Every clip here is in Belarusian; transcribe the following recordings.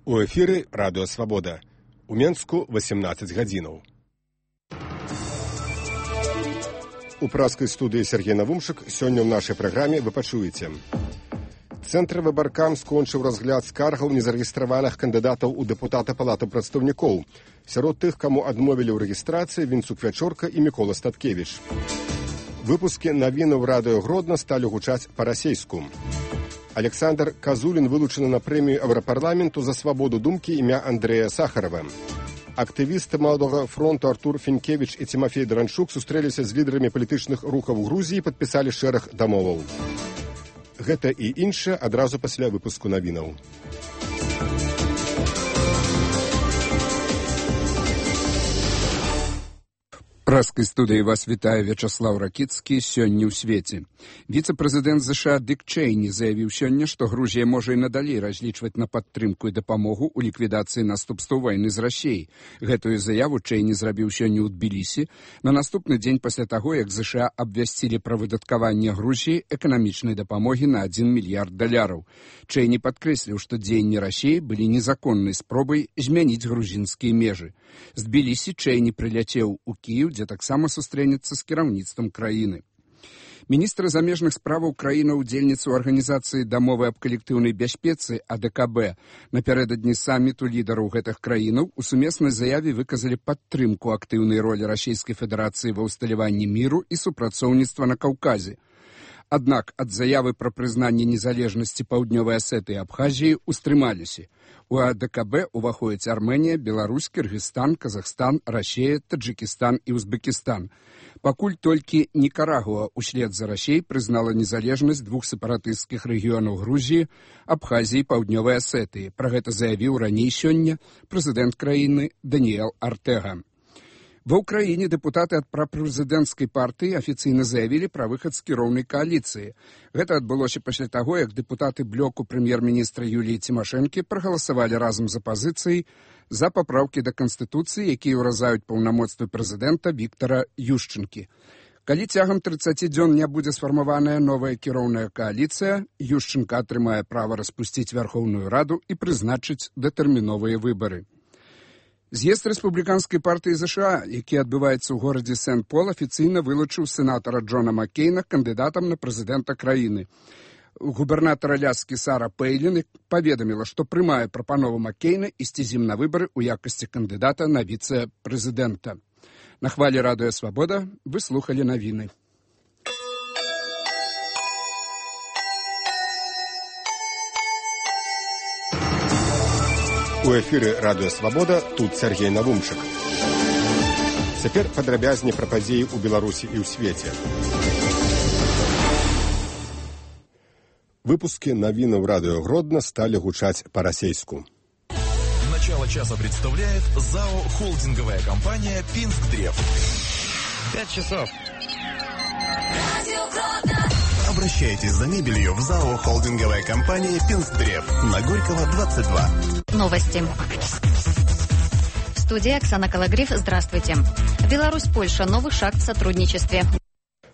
У эфіры Радыё Свабода. У Менску 18 гадзінаў. У праскай студыі Сергей Навумшык сёння ў нашай праграме вы пачуеце. Цэнтравы баркам скончыў разгляд скаргаў незарэгістраваных кандыдатаў у дэпутата Палаты прадстаўнікоў. Сярод тых, каму адмовілі ў рэгістрацыі, Вінцук Вячорка і Мікола Статкевіч. Выпускі навінаў Радыё Гродна сталі гучаць па-расейску. Александр Казулін вылучаны на прэмію Еўрапарламенту за свабоду думкі імя Андрэя Сахарова. Актывісты Маладога фронту Артур Фінкевіч і Тимофей Дранчук сустрэліся з лідарамі палітычных рухаў Грузіі і падпісалі шэраг дамоваў. Гэта і іншае адразу пасля выпуску навінаў. Праскай студыі вас вітае Вячаслаў Ракіцкі сёння ў свеце. Віцэ-прэзідэнт США Дык Чэйні заявіў сёння, што Грузія можа і надалей разлічваць на падтрымку і дапамогу ў ліквідацыі наступстваў вайны з Расіяй. Гэтую заяву Чэйні зрабіў сёння ў Тбілісі на наступны дзень пасля таго, як США абвясцілі пра выдаткаванне Грузіі эканамічнай дапамогі на $1 мільярд. Чэйні падкрэсліў, што дзеянні Расіі былі незаконнай спробай змяніць грузінскія межы. З Тбілісі Чэйні прыляцеў у Кіеў, дзе таксама сустрэнецца з кіраўніцтвам краіны. Міністр замежных справаў краіны-удзельніцы ў арганізацыі дамовы аб калектыўнай бяспецы АДКБ напярэдадні саміту лідараў гэтых краінаў у сумеснай заяве выказалі падтрымку актыўнай ролі Расійскай Федэрацыі ва ўсталяванні міру і супрацоўніцтва на Каўказе. Аднак ад заявы пра прызнанне незалежнасці Паўднёвай Асетыі і Абхазіі ўстрымаліся. У АДКБ уваходзяць Арменія, Беларусь, Кыргызстан, Казахстан, Расія, Таджикістан і Узбекістан. Пакуль толькі Нікарагуа услед за Расіяй прызнала незалежнасць двух сепаратысцкіх рэгіёнаў Грузіі, Абхазіі і Паўднёвай Асетыі. Пра гэта заявіў раней сёння прэзідэнт краіны Даніэл Артэга. Ва ўкраіне дэпутаты ад прапрэзідэнцкай партыі афіцыйна заявілі пра выхад з кіроўнай кааліцыі. Гэта адбылося пасля таго, як дэпутаты блоку прэм'ер-міністра Юліі Цімашэнкі прагаласавалі разам з апазіцыяй за папраўкі да Канстытуцыі, якія ўразаюць паўнамоцтвы прэзідэнта Віктара Юшчэнкі. Калі цягам 30 дзён не будзе сфармаваная новая кіроўная кааліцыя, Юшчэнка атрымае права распусціць Вярхоўную Раду і прызначыць датэрміновыя выбары. З'езд рэспубліканскай партыі США, які адбываецца ў горадзе Сент-Пол, афіцыйна вылучыў сенатара Джона Маккейна кандыдатам на прэзідэнта краіны. Губернатар Аляскі Сара Пэйлін паведаміла, што прымае прапанову Маккейна ісці з ім на выбары ў якасці кандыдата на віцэ-прэзідэнта. На хвалі Радыё Свабода вы слухалі навіны. У эфіры Радыё Свабода, тут Сергей Навумшык. Цяпер падрабязней пра падзеі ў Беларусі і ў свеце. Выпускі навінаў Радыё Гродна стали гучаць па-расейску. Начало часа представляет ЗАО «Холдинговая компания Пинскдрев». 5 часов. Обращайтесь за мебелью в ЗАО «Холдинговая компания Пинскдрев» на Горького, 22. Новости. Студия Оксана Калагриф. Здравствуйте. Беларусь-Польша. Новый шаг в сотрудничестве.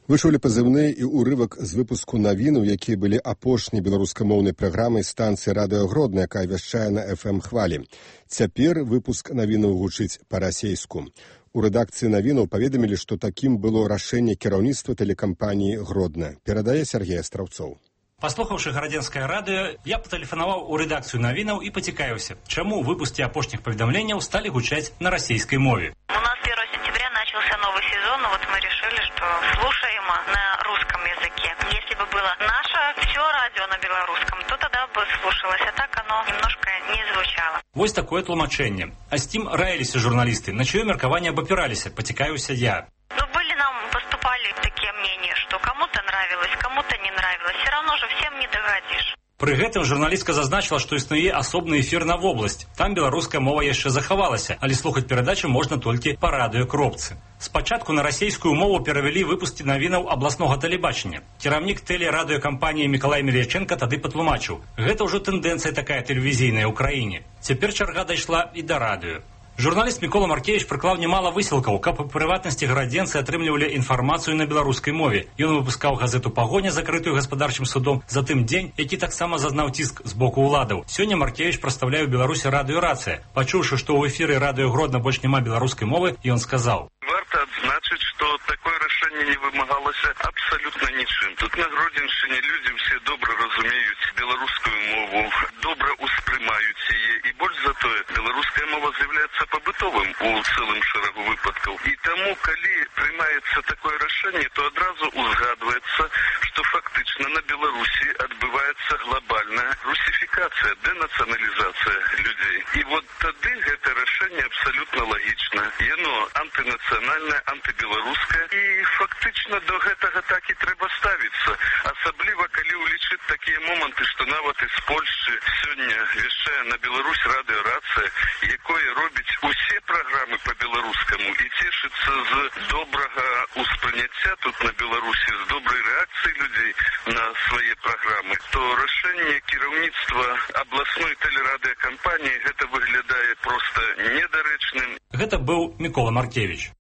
Вы чулі пазыўны і ўрывак з выпуску навінаў, якія былі апошняй беларускамоўнай праграмай станцыі Радыё Гродна, якая вяшчае на FM-хвалі. Цяпер выпуск навінаў гучыць па-расейску. У рэдакцыі навінаў паведамілі, што такім было рашэнне кіраўніцтва тэлекампаніі «Гродна». Перадае Сергей Астраўцоў. Паслухаўшы гарадзенскае радыё, я патэлефанаваў у рэдакцыю навінаў і пацікавіўся, чаму выпускі апошніх паведамленняў сталі гучаць на расійскай мове. У нас 1 сентября начался новый сезон, но вот мы решили, что слушаем на русском языке. Если бы было наше все радио на белорусском, то тогда бы слушалось, а так оно немножко не звучало. Вось такое тлумачэнне. А з тым раіліся журналісты, на чыё меркаванне абапіраліся, пацікавіўся я. Ну, поступали такие мнения, что кому-то нравилось, кому-то не нравилось. Все равно же всем не догадишь. Пры гэтым журналістка зазначыла, што існуе асобны эфір на вобласць. Там беларуская мова яшчэ захавалася, але слухаць перадачу можна толькі па радыёкропцы. Спачатку на расійскую мову перавялі выпускі навінаў абласнога тэлебачання. Кіраўнік тэлерадыёкампаніі Мікалай Мельячэнка тады патлумачыў: гэта ўжо тэндэнцыя такая тэлевізійная ў краіне. Цяпер чарга дайшла і да радыё. Журналіст Мікола Маркевіч прыклаў немало высілкаў, каб у прыватнасці гарадзенцы атрымлівалі інфармацыю на беларускай мове. Ён выпускаў газету «Пагоня», закрытую гаспадарчым судом, затым «Дзень», які таксама зазнаў ціск з боку ўладаў. Сёння Маркевіч прадстаўляе ў Беларусі радыё «Рацыя». Пачуўшы, што ў эфіры радыё Гродна больш няма беларускай мовы, ён сказаў: Варта адзначыць, што такое рашэнне не вымагалася абсалютна нічым. Тут на Гродзеншчыне людзі ўсе добра разумеюць беларускую мову, добра ўспрымаюць яе, і больш за тое, беларуская мова з'яўляецца пабытовым у цэлым шэрагу выпадкаў. І таму, калі прымаецца такое рашэнне, то адразу узгадваецца, што фактычна на Беларусі адбываецца глобальная русіфікацыя, дэнацыяналізацыя людзей. І вот тады гэта рашэнне абсалютна лагічна. Яно антынацыянальнае, антыбеларускае, і фактычна до гэтага так і трэба ставіцца. Асабліва, калі ўлічыць такія моманты, што нават з Польшчы сёння вяшчае на Беларусь радыё «Рацыя», якое робіць усе праграмы па-беларускаму і цешыцца з добрага ўспрыняцця тут на Беларусі, з добрай рэакцыі людзей на свае праграмы, то рашэнне кіраўніцтва абласной тэлерадыёкампаніі гэта выглядае проста недарэчным. Гэта быў Мікола Маркевіч.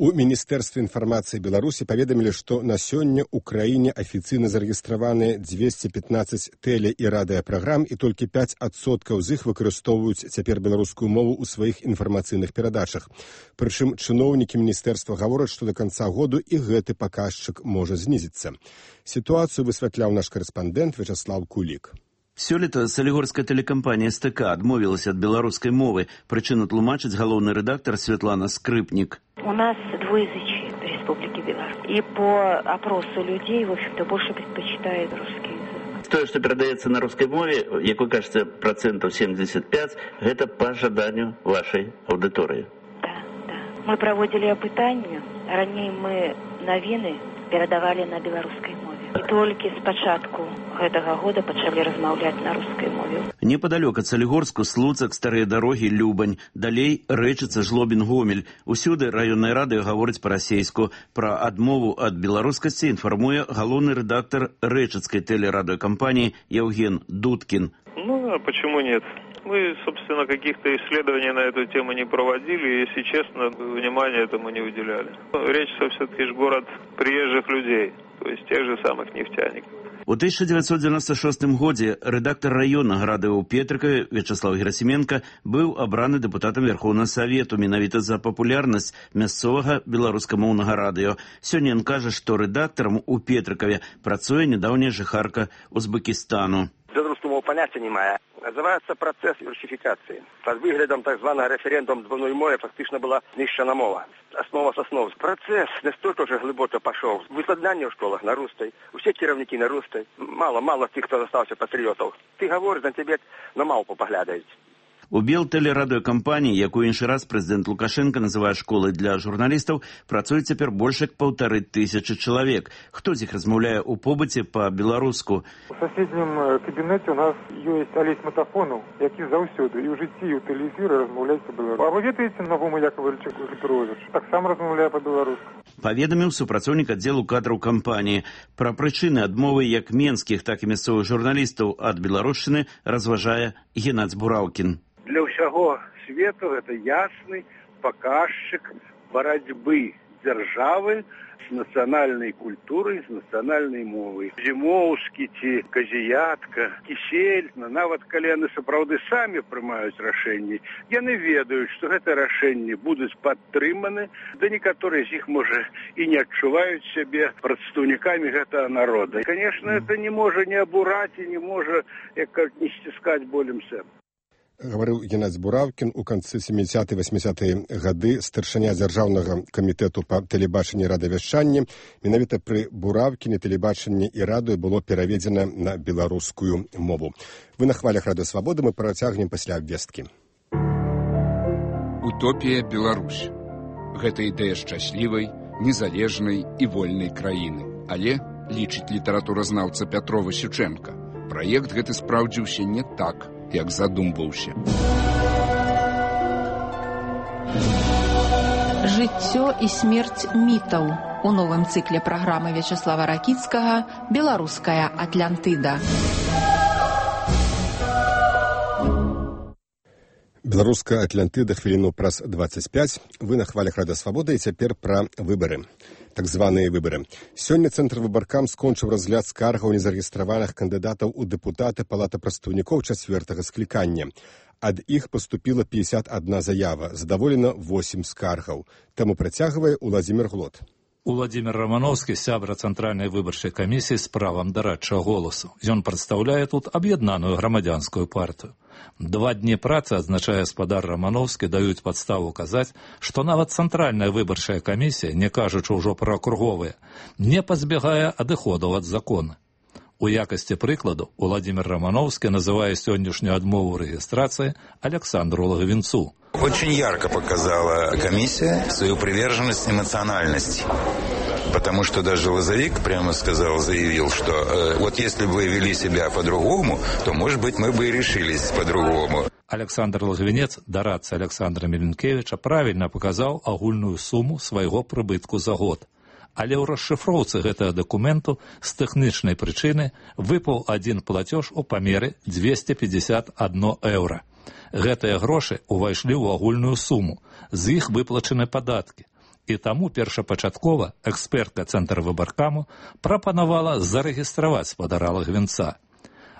У Міністэрстве інфармацыі Беларусі паведамілі, што на сёння ў краіне афіцыйна зарэгістраваны 215 тэле- і радыёпраграм, і толькі 5% з іх выкарыстоўваюць цяпер беларускую мову ў сваіх інфармацыйных перадачах. Прычым чыноўнікі міністэрства гавораць, што да канца году і гэты паказчык можа знізіцца. Сітуацыю высвятляў наш карэспандэнт Вячаслаў Кулік. Сёлета салігорская тэлекампанія СТК адмовілася ад беларускай мовы. Прычыну тлумачыць галоўны рэдактар Светлана Скрыпнік. У нас двуязычие в Республике Беларусь. И по опросу людей, в общем-то, больше предпочитают русский язык. То, что передается на русской мове, як вы кажете, 75%, это по жаданию вашей аудитории. Да. Мы проводили опытание. Ранее мы навіны перадавали на беларускай мове. І толькі з пачатку гэтага года пачалі размаўляць на рускай мове. Непадалёк ад Салігорску Слуцак, старыя дарогі, Любань. Далей Рэчыца, Жлобін, Гомель. Усюды раённае радыё гаворыць па-расейску. Пра адмову ад беларускасці інфармуе галоўны рэдактар Рэчыцкай тэлерадыёкампаніі Евген Дудкін. Ну, а почему нет? Мы, собственно, каких-то исследований на эту тему не проводили, и, если честно, внимания этому не уделяли. Речь все-таки же город приезжих людей, то есть тех же самых нефтяников. У 1996 годзе рэдактар раённага радыё ў Петрыкаве Вячаслав Герасименко быў абраны дэпутатам Верховнага Савету менавіта за папулярнасць мясцовага беларускамоўнага радыё. Сёння ён кажа, што рэдактарам у Петрыкаве працуе нядаўняя жыхарка Узбекістану. Беларускую мову поняття немає. Називається процес русифікації. Під виглядом так званого референдуму двойної мови фактично була знищена мова. Основа з основ. Процес настільки вже глибоко пішов. Викладання в школах на русской. Усі керівники на русской. Мало тих, хто залишився патріотів. Ти говориш, на тебе на мавпу поглядають. У Белтэлерадыёкампаніі, якую іншы раз прэзідэнт Лукашенко называе школай для журналістаў, працуе цяпер больш як 1500 чалавек. Хто з іх размаўляе ў побыце па-беларуску? У суседнім кабінеце у нас ёсць Алесь Матафонаў, які заўсёды і ў жыцці, і ў тэлевізоры размаўляе па-беларуску. А вы ведаеце Навума Яковлевича Петровича? Таксама размаўляе па-беларуску. Паведаміў супрацоўнік аддзелу кадраў кампаніі. Пра прычыны адмовы як менскіх, так і мясцовых журналістаў ад беларушчыны разважае Геннадзь Бураўкін. Для ўсяго свету гэта ясны паказчык барацьбы дзяржавы з нацыянальнай культурай, з нацыянальнай мовай. Зімоўскі ці казіятка, кісель, нават калі яны сапраўды самі прымаюць рашэнні, яны ведаюць, што гэта рашэнні будуць падтрыманы, да некаторыя з іх, можа, і не адчуваюць сябе прадстаўнікамі гэтага народа. І, конечно, это не можа не абураць і не можа, як не сціскаць болем сэрца. Гаварыў Геннадзь Бураўкін. У канцы 70-80-е гады старшыня дзяржаўнага камітэту па тэлебачанні і радыёвяшчанні. Менавіта пры Бураўкіне тэлебачанне і радыё было пераведзена на беларускую мову. Вы на хвалях Радыё Свабоды, мы працягнем пасля абвесткі. Утопія Беларусь. Гэта ідэя шчаслівай, незалежнай і вольнай краіны. Але, лічыць літаратуразнаўца Пятрова Сючэнка, праект гэты спраўдзіўся не так, як задумваўся. Жыццё і смерць мітаў у новым цыкле праграмы Вячаслава Ракіцкага «Беларуская Атлантыда». Беларуская Атлантыда хвіліну праз 25. Вы на хвалях Рада Свабода, і цяпер пра выбары. Так званыя выбары. Сёння Цэнтр выбаркам скончыў разгляд скаргаў незарэгістраваных кандыдатаў у дэпутаты Палаты прадстаўнікоў 4-го склікання. Ад іх паступіла 51 заява, задаволена 8 скаргаў. Таму працягвае Уладзімір Глот. Уладзімір Рамановскі, сябра Цэнтральнай выбарчай камісіі з правам дарадчага голасу. Ён прадстаўляе тут аб'яднаную грамадзянскую партыю. 2 дні працы, адзначае гаспадар Рамановскі, даюць падставу казаць, што нават Цэнтральная выбарчая камісія, не кажучы ўжо пра акруговыя, не пазбягае адыходаў ад закона. У якасці прыкладу Уладзімір Рамановскі называе сённяшнюю адмову рэгістрацыі Александру Логвинцу. Очень ярко показала комиссия свою приверженность эмоциональности. Потому что даже Лозовик прямо заявил, что вот если бы вы вели себя по-другому, то, может быть, мы бы и решились по-другому. Александр Логвинец, дарадца Александра Меленкевича, правильно показал агульную сумму свайго прыбытку за год. Але ў расшыфроўцы гэтага дакументу з тэхнічнай прычыны выпаў адзін плацёж у памеры 251 еўра. Гэтыя грошы ўвайшлі ў агульную суму, з іх выплачаны падаткі. І таму першапачаткова экспертка Цэнтра выбаркаму прапанавала зарэгістраваць спадара Логвинца.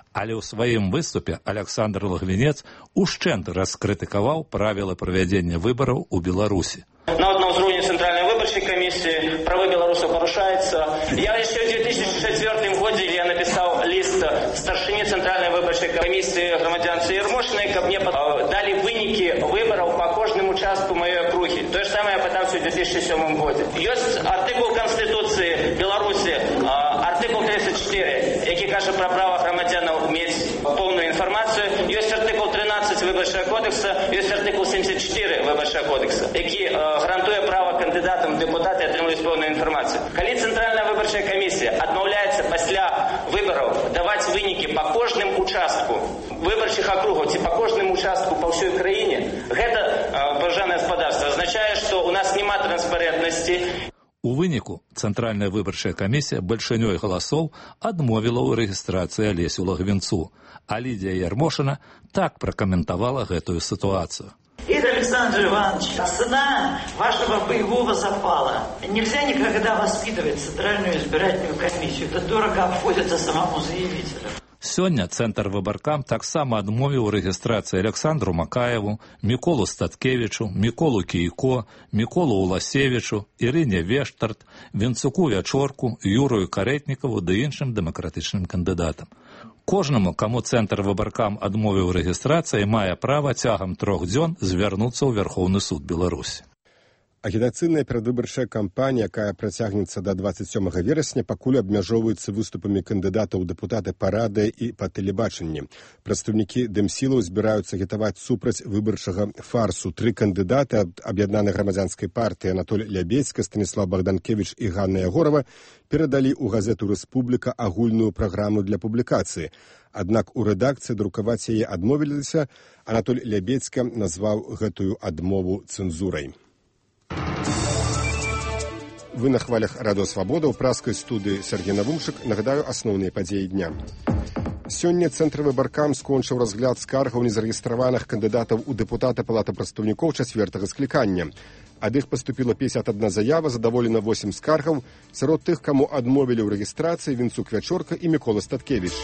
Але ў сваім выступе Александр Логвинец ушчэнт раскрытыкаваў правілы правядзення выбараў у Беларусі. Нават на ўзроўні Цэнтральнай выбарчай камісіі правы беларусаў парушаюцца. Я яшчэ ў 2004 годзе я напісаў ліст старшыні Цэнтральнай выбарчай камісіі грамадзянцы Ермошынай, каб мне далі вынікі выбараў па кожным участку маёй акругі. Тое ж самае я пытаўся ў 2007 годзе. Ёсць артыкул Канстытуцыі Беларусі, артыкул 34, які кажа пра права грамадзянаў мець поўную інфармацыю. Ёсць артыкул 13 выбарчага кодекса, ёсць артыкул 74 выбарчага кодекса, які гарантуе права кандыдатам у дэпутаты атрымліваць поўную інфармацыю. Калі Цэнтральная выбарчая камісія адмаўляецца пасля выбараў даваць вынікі па кожным участку выбарчых акругаў ці па кожным участку па ўсёй краіне, гэта, паважанае гаспадарства, азначае, што ў нас няма транспарэнтнасці. У выніку Цэнтральная выбарчая камісія бальшынёй галасоў адмовіла ў рэгістрацыі Алесю Логвинцу, а Лідія Ярмошина так пракаментавала гэтую сітуацыю. Игорь Александрович Иванович, цена вашего боевого запала. Нельзя никогда воспитывать Центральную избирательную комиссию. Это дорого обходится самому заявителю. Сёння Цэнтр выбаркам таксама адмовіў рэгістрацыі Александру Макаеву, Міколу Статкевічу, Міколу Кійко, Міколу Уласевічу, Ірыне Вештарт, Вінцуку Вячорку, Юрою Каретнікаву ды іншым дэмакратычным кандыдатам. Кожнаму, каму Цэнтр выбаркам адмовіў рэгістрацыі, мае права цягам 3 дзён звярнуцца ў Верхоўны суд Беларусі. Агітацыйная перадвыбарчая кампанія, якая працягнецца да 27 верасня, пакуль абмяжоўваецца выступамі кандыдатаў у дэпутаты па радыё і па тэлебачанні. Прадстаўнікі дэмсілаў збіраюцца агітаваць супраць выбарчага фарсу. 3 кандыдаты ад аб'яднанай грамадзянскай партыі Анатоль Лябедзька, Станіслав Богданкевич і Ганна Ягорова перадалі ў газету «Рэспубліка» агульную праграму для публікацыі. Аднак у рэдакцыі друкаваць яе адмовіліся. Анатоль Лябедзька назваў гэтую адмову цэнзурай. Вы на хвалях Радио Свобода, у праскай студыі Сергей Навумшык. Нагадаю асноўныя падзеі дня. Сёння Цэнтр выбаркам скончыў разгляд скаргаў незарэгістраваных кандыдатаў у дэпутаты Палаты прадстаўнікоў 4-го склікання. Ад іх паступіла 51 заява, задаволена 8 скаргаў. Сярод тых, каму адмовілі ў рэгістрацыі, Вінцук Вячорка і Мікола Статкевіч.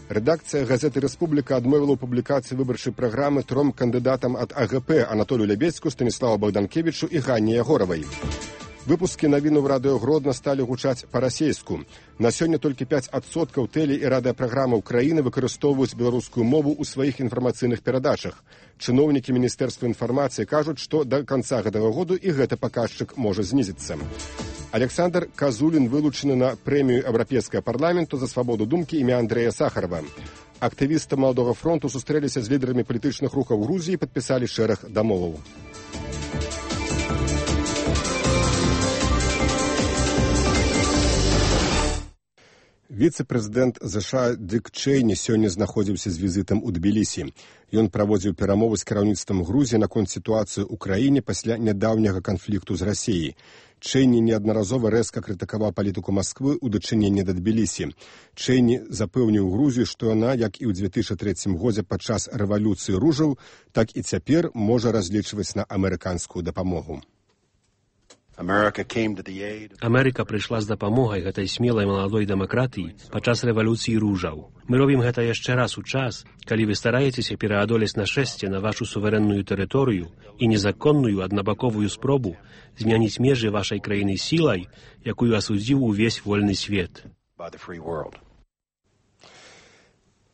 Рэдакцыя газеты «Рэспубліка» адмовіла ў публікацыі выбарчай праграмы 3 кандыдатам ад АГП Анатолію Лябедзьку, Станіславу Богданкевічу і Ганне Ягоравай. Выпускі навіну ў радыё Гродна сталі гучаць па-расейску. На сёння толькі 5% тэле- і радыёпраграмаў краіны выкарыстоўваюць беларускую мову ў сваіх інфармацыйных перадачах. Чыноўнікі Міністэрства інфармацыі кажуць, што да канца гэтага году і гэты паказчык можа знізіцца. Александр Казулін вылучаны на прэмію Еўрапейскага парламенту за свабоду думкі імя Андрэя Сахарова. Актывісты Маладога фронту сустрэліся з лідарамі палітычных рухаў Грузіі і падпісалі шэраг дамоваў. Віцэ-прэзідэнт США Дык Чэйні сёння знаходзіўся з візітам у Тбілісі. Ён праводзіў перамовы з кіраўніцтвам Грузіі наконт сітуацыі ў краіне пасля нядаўняга канфлікту з Расіяй. Чэйні неаднаразова рэзка крытыкаваў палітыку Масквы ў дачыненні да Тбілісі. Чэйні запэўніў Грузію, што яна, як і ў 2003 годзе падчас рэвалюцыі ружаў, так і цяпер можа разлічваць на амерыканскую дапамогу. Амерыка прыйшла з дапамогай гэтай смелай маладой дэмакратыі падчас рэвалюцыі ружаў. Мы робім гэта яшчэ раз у час, калі вы стараецеся пераадолець нашэсце на вашу суверэнную тэрыторыю і незаконную аднабаковую спробу змяніць межы вашай краіны сілай, якую асудзіў увесь вольны свет.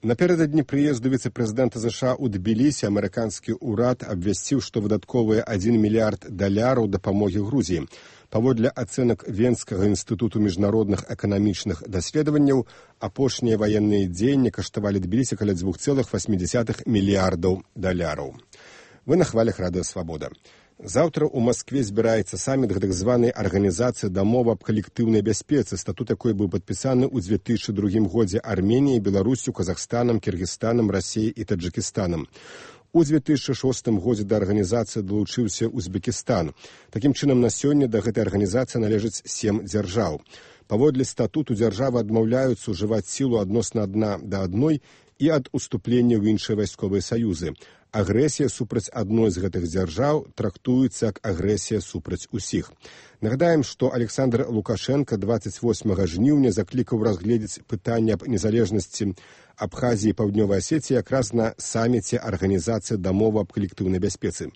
Наперададні прыезду віцэ-прэзідэнта США ў Тбілісі амерыканскі ўрад абвясціў, што выдатковыя $1 мільярд дапамогі Грузіі. Паводле ацэнак Венскага інстытуту міжнародных эканамічных даследаванняў, апошнія ваенныя дзеянні каштавалі Тбілісі каля $2,8 мільярдаў. Вы на хвалях Радыё Свабода. Заўтра ў Маскве збіраецца саміт гэтак званай арганізацыі дамовы аб калектыўнай бяспецы, статут якой быў падпісаны ў 2002 годзе Арменіяй, Беларусю, Казахстанам, Кіргізстанам, Расіяй і Таджыкістанам. У 2006 годзе да арганізацыі далучыўся Узбекістан. Такім чынам, на сёння да гэтай арганізацыі належыць 7 дзяржаў. Паводле статуту дзяржавы адмаўляюцца ўжываць сілу адносна адна да адной і ад уступлення ў іншыя вайсковыя саюзы. Агрэсія супраць адной з гэтых дзяржаў трактуецца як агрэсія супраць усіх. Нагадаем, што Александр Лукашенко 28 жніўня заклікаў разгледзець пытанне аб незалежнасці Абхазіі і Паўднёвай Асетіі якраз на саміце арганізацыі дамовы аб калектыўнай бяспецы.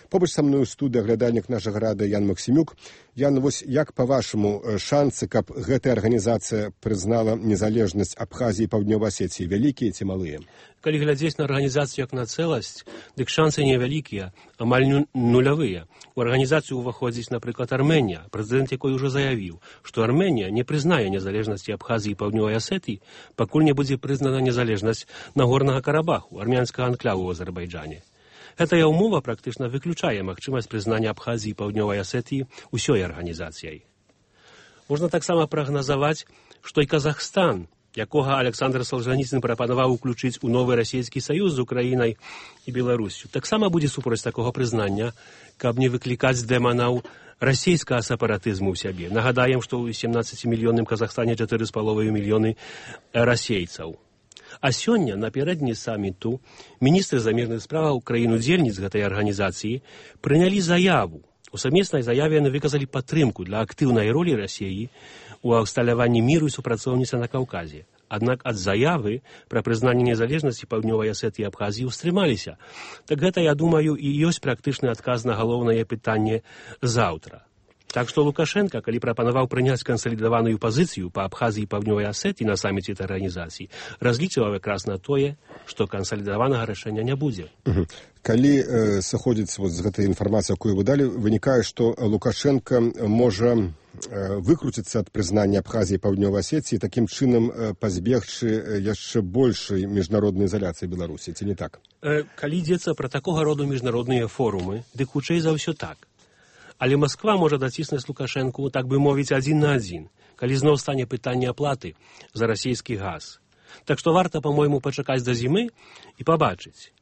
Побач са мною ў студыі аглядальнік нашага радыё Ян Максімюк. Ян, вось як, па-вашаму, шансы, каб гэтая арганізацыя прызнала незалежнасць Абхазіі і Паўднёвай Асетіі, вялікія ці малыя? Калі глядзець на арганізацыю як на цэласць, дык шансы невялікія, амаль нулявыя. У арганізацыю ўваходзіць, напрыклад, Арменія, прэзідэнт якой ужо заявіў, што Арменія не прызнае незалежнасці Абхазіі і Паўднёвай Асетіі, пакуль не будзе прызнана незалежнасць Нагорнага Карабаху, армянскага анклаву ў Азербайджане. Гэтая ўмова практычна выключае магчымасць прызнання Абхазіі і Паўднёвай Асетіі ўсёй арганізацыяй. Можна таксама прагназаваць, што і Казахстан, якога Александр Солжаніцын прапанаваў уключыць у новы расійскі саюз з Украінай і Беларусю, таксама будзе супроць такога прызнання, каб не выклікаць дэманаў расійскага сепаратызму ў сябе. Нагадаем, што ў 17-мільённым Казахстане 4,5 мільёны расейцаў. А сёння, напярэдадні саміту, міністры замежных справаў краін-удзельніц гэтай арганізацыі прынялі заяву. У сумеснай заяве яны выказалі падтрымку для актыўнай ролі Расіі у усталяванні міру і супрацоўніцтва на Каўказе. Аднак ад заявы пра прызнанне незалежнасці Паўднёвай Асетыі і Абхазіі ўстрымаліся. Так гэта, я думаю, і ёсць практычны адказ на галоўнае пытанне заўтра. Так што Лукашенко, калі прапанаваў прыняць кансалідаваную пазіцыю па Абхазіі і Паўднёвай Асетыі на саміце этой арганізацыі, разлічваў якраз на тое, што кансалідаванага рашэння не будзе. Калі сыходзіць з гэтай інфармацыі, якую вы далі, вынікае, што Лукашенко можа выкруціцца ад прызнання Абхазіі і Паўднёвай Асетіі, такім чынам пазбегчы яшчэ большай міжнароднай ізаляцыі Беларусі, ці не так? Калі ідзецца пра такога роду міжнародныя форумы, дык хутчэй за ўсё так. Але Масква можа даціснуць Лукашэнку, так бы мовіць, адзін на адзін, калі зноў стане пытанне аплаты за расійскі газ. Так што варта, па-мойму, пачакаць да зімы і пабачыць.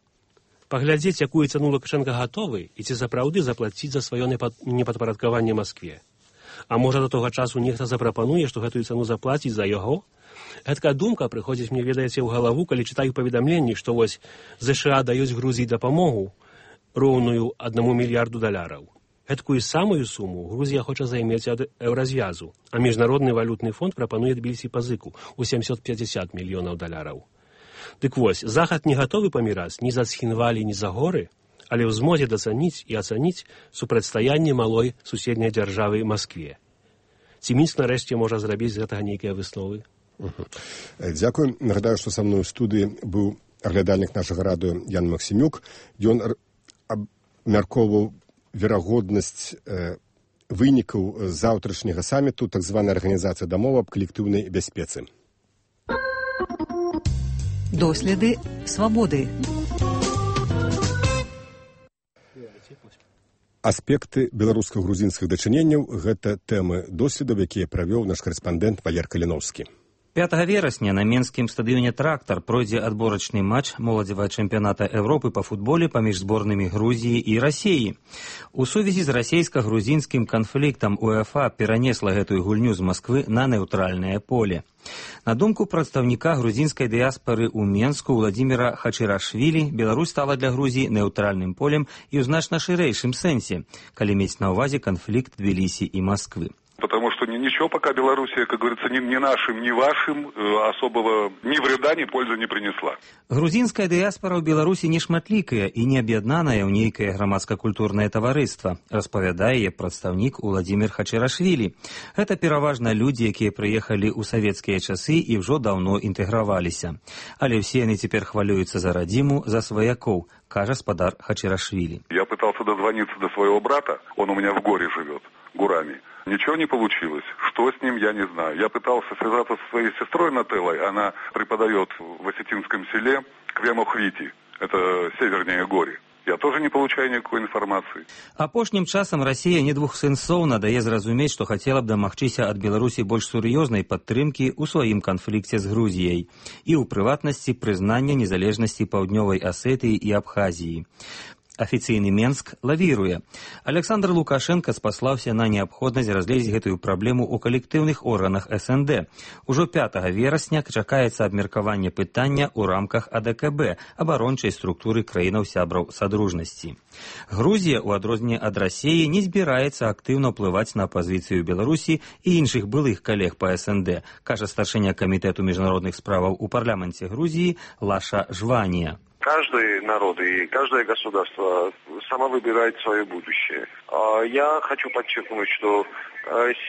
Паглядзець, якую цану Лукашенка гатовы і ці сапраўды заплаціць за сваё непадпарадкаванне Маскве. А можа, да того часу нехта запрапануе, што гэтую цану заплаціць за яго? Гэткая думка прыходзіць мне, ведаеце, ў галаву, калі чытаю паведамленні, што вось США даюць Грузіі дапамогу роўную $1 мільярду. Гэткую самую суму Грузія хоча займець ад еўразвязу, а Міжнародны валютны фонд прапануе Тбілісі пазыку ў $750 мільёнаў. Дык вось, Захад не гатовы паміраць ні за Цхінвалі, ні за горы, але ў змозе дацаніць і ацаніць супрацьстаянне малой суседняй дзяржавы Маскве. Ці Мінск нарэшце можа зрабіць з гэтага нейкія высновы? Дзякуй. Нагадаю, што са мной у студыі быў аглядальнік нашага радыё Ян Максімюк. Ён абмяркоўваў верагоднасць вынікаў заўтрашняга саміту так званай арганізацыі дамовы аб калектыўнай бяспецы. Доследы свабоды. Аспекты беларуска-грузінскіх дачыненняў – гэта тэмы доследаў, якія правёў наш карэспандэнт Валер Каліноўскі. 5 верасня на менскім стадыёне «Трактар» пройдзе адборачны матч моладзевага чэмпіяната Европы па футболе паміж зборнымі Грузіі і Расіі. У сувязі з расійска-грузінскім канфліктам УЕФА перанесла гэтую гульню з Масквы на нейтральнае поле. На думку прадстаўніка грузінскай дыяспары ў Менску Владзіміра Хачырашвілі, Беларусь стала для Грузіі нейтральным полем і ў значна шырэйшым сэнсе, калі мець на ўвазе канфлікт Тбілісі і Масквы. Потому что ничего пока Белоруссия, как говорится, ни нашим, ни вашим особого ни вреда, ни пользы не принесла. Грузінская дыяспара ў Беларусі не шматлікая і не аб'яднаная ў нейкае грамадска-культурнае таварыства, распавядае яе прадстаўнік Владзімір Хачырашвілі. Гэта пераважна людзі, якія прыехалі ў савецкія часы і ўжо даўно інтэграваліся. Але ўсе яны цяпер хвалююцца за радзіму, за сваякоў, кажа спадар Хачырашвілі. Я пытался дозвониться до своего брата, он у меня в горе живет, Гурами. Ничего не получилось. Что с ним, я не знаю. Я пытался связаться со своей сестрой Нателлой. Она преподает в Осетинском селе Квемохвити. Это севернее Гори. Я тоже не получаю никакой информации. Апошнім часам Расія недвухсэнсоўна дае зразумець, што хацела б дамагчыся ад Беларусі больш сур'ёзнай падтрымкі ў сваім канфлікце з Грузіяй і ў прыватнасці прызнання незалежнасці Паўднёвай Асетыі і Абхазіі. Афіцыйны Менск лавіруе. Александр Лукашенко спаслаўся на неабходнасць разгледзець гэтую праблему ў калектыўных органах СНД. Ужо 5 верасня чакаецца абмеркаванне пытання ў рамках АДКБ, абарончай структуры краінаў-сябраў Садружнасці. Грузія, у адрозненне ад Расіі, не збіраецца актыўна ўплываць на пазіцыю Беларусі і іншых былых калег па СНД, кажа старшыня камітэту міжнародных справаў у парламенце Грузіі Лаша Жванія. Каждый народ и каждое государство само выбирает свое будущее. Я хочу подчеркнуть, что